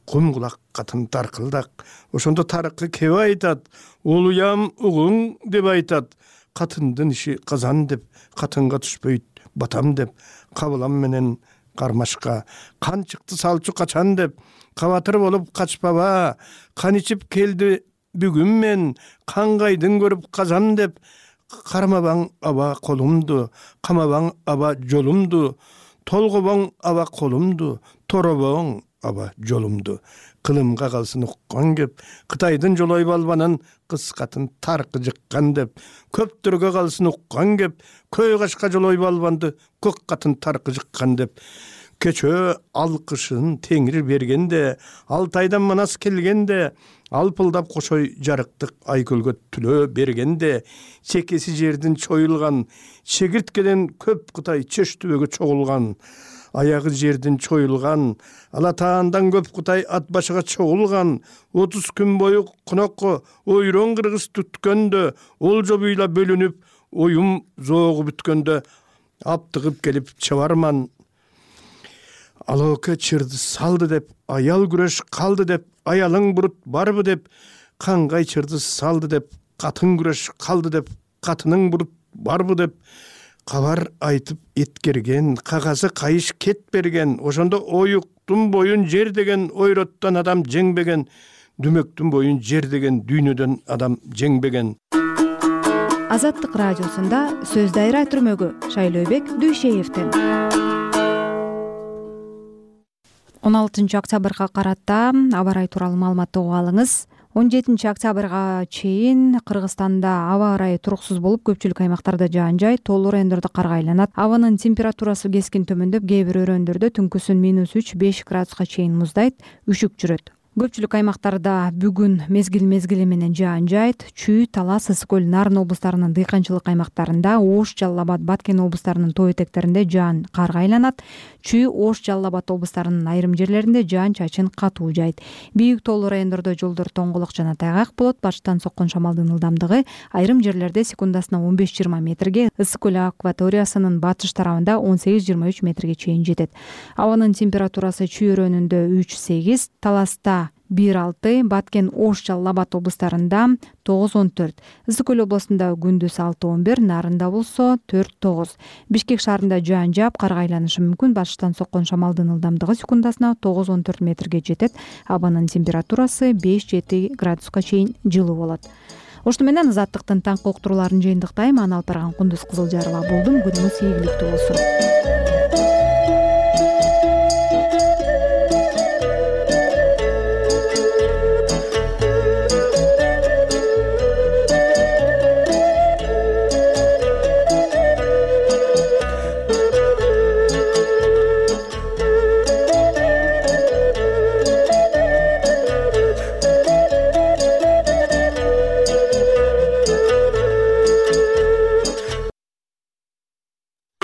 кум кулак катын таркылдак. Ошондо тарыкы кеп айтат, улуям угуң деп айтат, катындын иши казан деп, катынга түшпөйт батам деп, кабылам менен кармашка, кан чыкты салчу качан деп, кабатыр болуп качпаба, кан ичип келди бүгүн мен, кангайдын көрүп казан деп, кармабаң аба колумду, камабаң аба жолумду, толгобоң аба колумду, торобоң аба жолумду. Кылымга калсын уккан кеп, Кытайдын жолой балбанын кыз катын таркы жыккан деп, көптөргө калсын уккан кеп, көй кашка жолой балбанды көк катын таркы жыккан деп. Кечөө алкышын теңир бергенде, Алтайдан Манас келгенде, алпылдап кошой жарыктык айкөлгө түлөө бергенде, чекеси жердин чоюлган, чегирткеден көп Кытай чөш түбөгө чогулган, аягы жердин чоюлган, Алатаандан көп Кытай ат башыга чогулган, 30 күн бою конокко ойрон кыргыз түткөндө, олжо буйла бөлүнүп, оюм зоогу бүткөндө, аптыгып келип чабарман. Алоке чырды салды деп, аял күрөш калды деп, аялың бурут барбы деп, кангай чырды салды деп, катын күрөш калды деп, катының бурут барбы деп, кабар айтып эткерген, кагазы кайыш кет берген, ошондо оюктун боюн жер деген ойроттон адам жеңбеген, дүмөктүн боюн жер деген дүйнөдөн адам жеңбеген. Азаттык радиосунда сөз дайра түрмөгү Шайлообек Дүйшеевдин. 16 октябрга карата аба ырайы тууралуу маалыматты угуп алыңыз. 17 октябрга чейин Кыргызстанда аба ырайы туруксуз болуп, көпчүлүк аймактарда жаан жай, тоолуу райондордо кар айланат. Абанын температурасы кескин төмөндөп, кээ бир өрөөндөрдө түнкүсүн -3-5 градуска чейин муздайт, үшүк жүрөт. Көпчүлүк аймактарда бүгүн мезгил менен жаан жаайт. Чүй, Талас, Ысык көл, Нарын облустарынын дыйканчылык аймактарында, Ош, Жалал Абад, Баткен облустарынын тоо этектеринде жаан карга айланат. Чүй, Ош, Жалал Абад облустарынын айрым жерлеринде жаан-чачын катуу жаайт. Бийик тоолуу райондордо жолдор тоңголок жана тайгак болот. Башкытан соккон шамалдын ылдамдыгы айрым жерлерде секундасына 15-20 метрге, Ысык көл акваториясынын батыш тарабында 18-23 метрге чейин жетет. Абанын температурасы Чүй өрөөнүндө 3-8, Таласта 1-6, Баткен, Ош, Жалал Абад облустарында 9-14, Ысык көл областында күндүз 6-11, Нарында болсо 4-9. Бишкек шаарында жаан жаап, карга айланышы мүмкүн. Башкытан соккон шамалдын ылдамдыгы секундасына 9-14 метрге жетет. Абанын температурасы 5-7 градуска чейин жылуу болот. Ошто менен Азаттыктын таңкы уктурууларын жыйынтыктайм. Аны алып барган Кундуз Кызылжарова болдум. Күнүңүз ийгиликтүү болсун.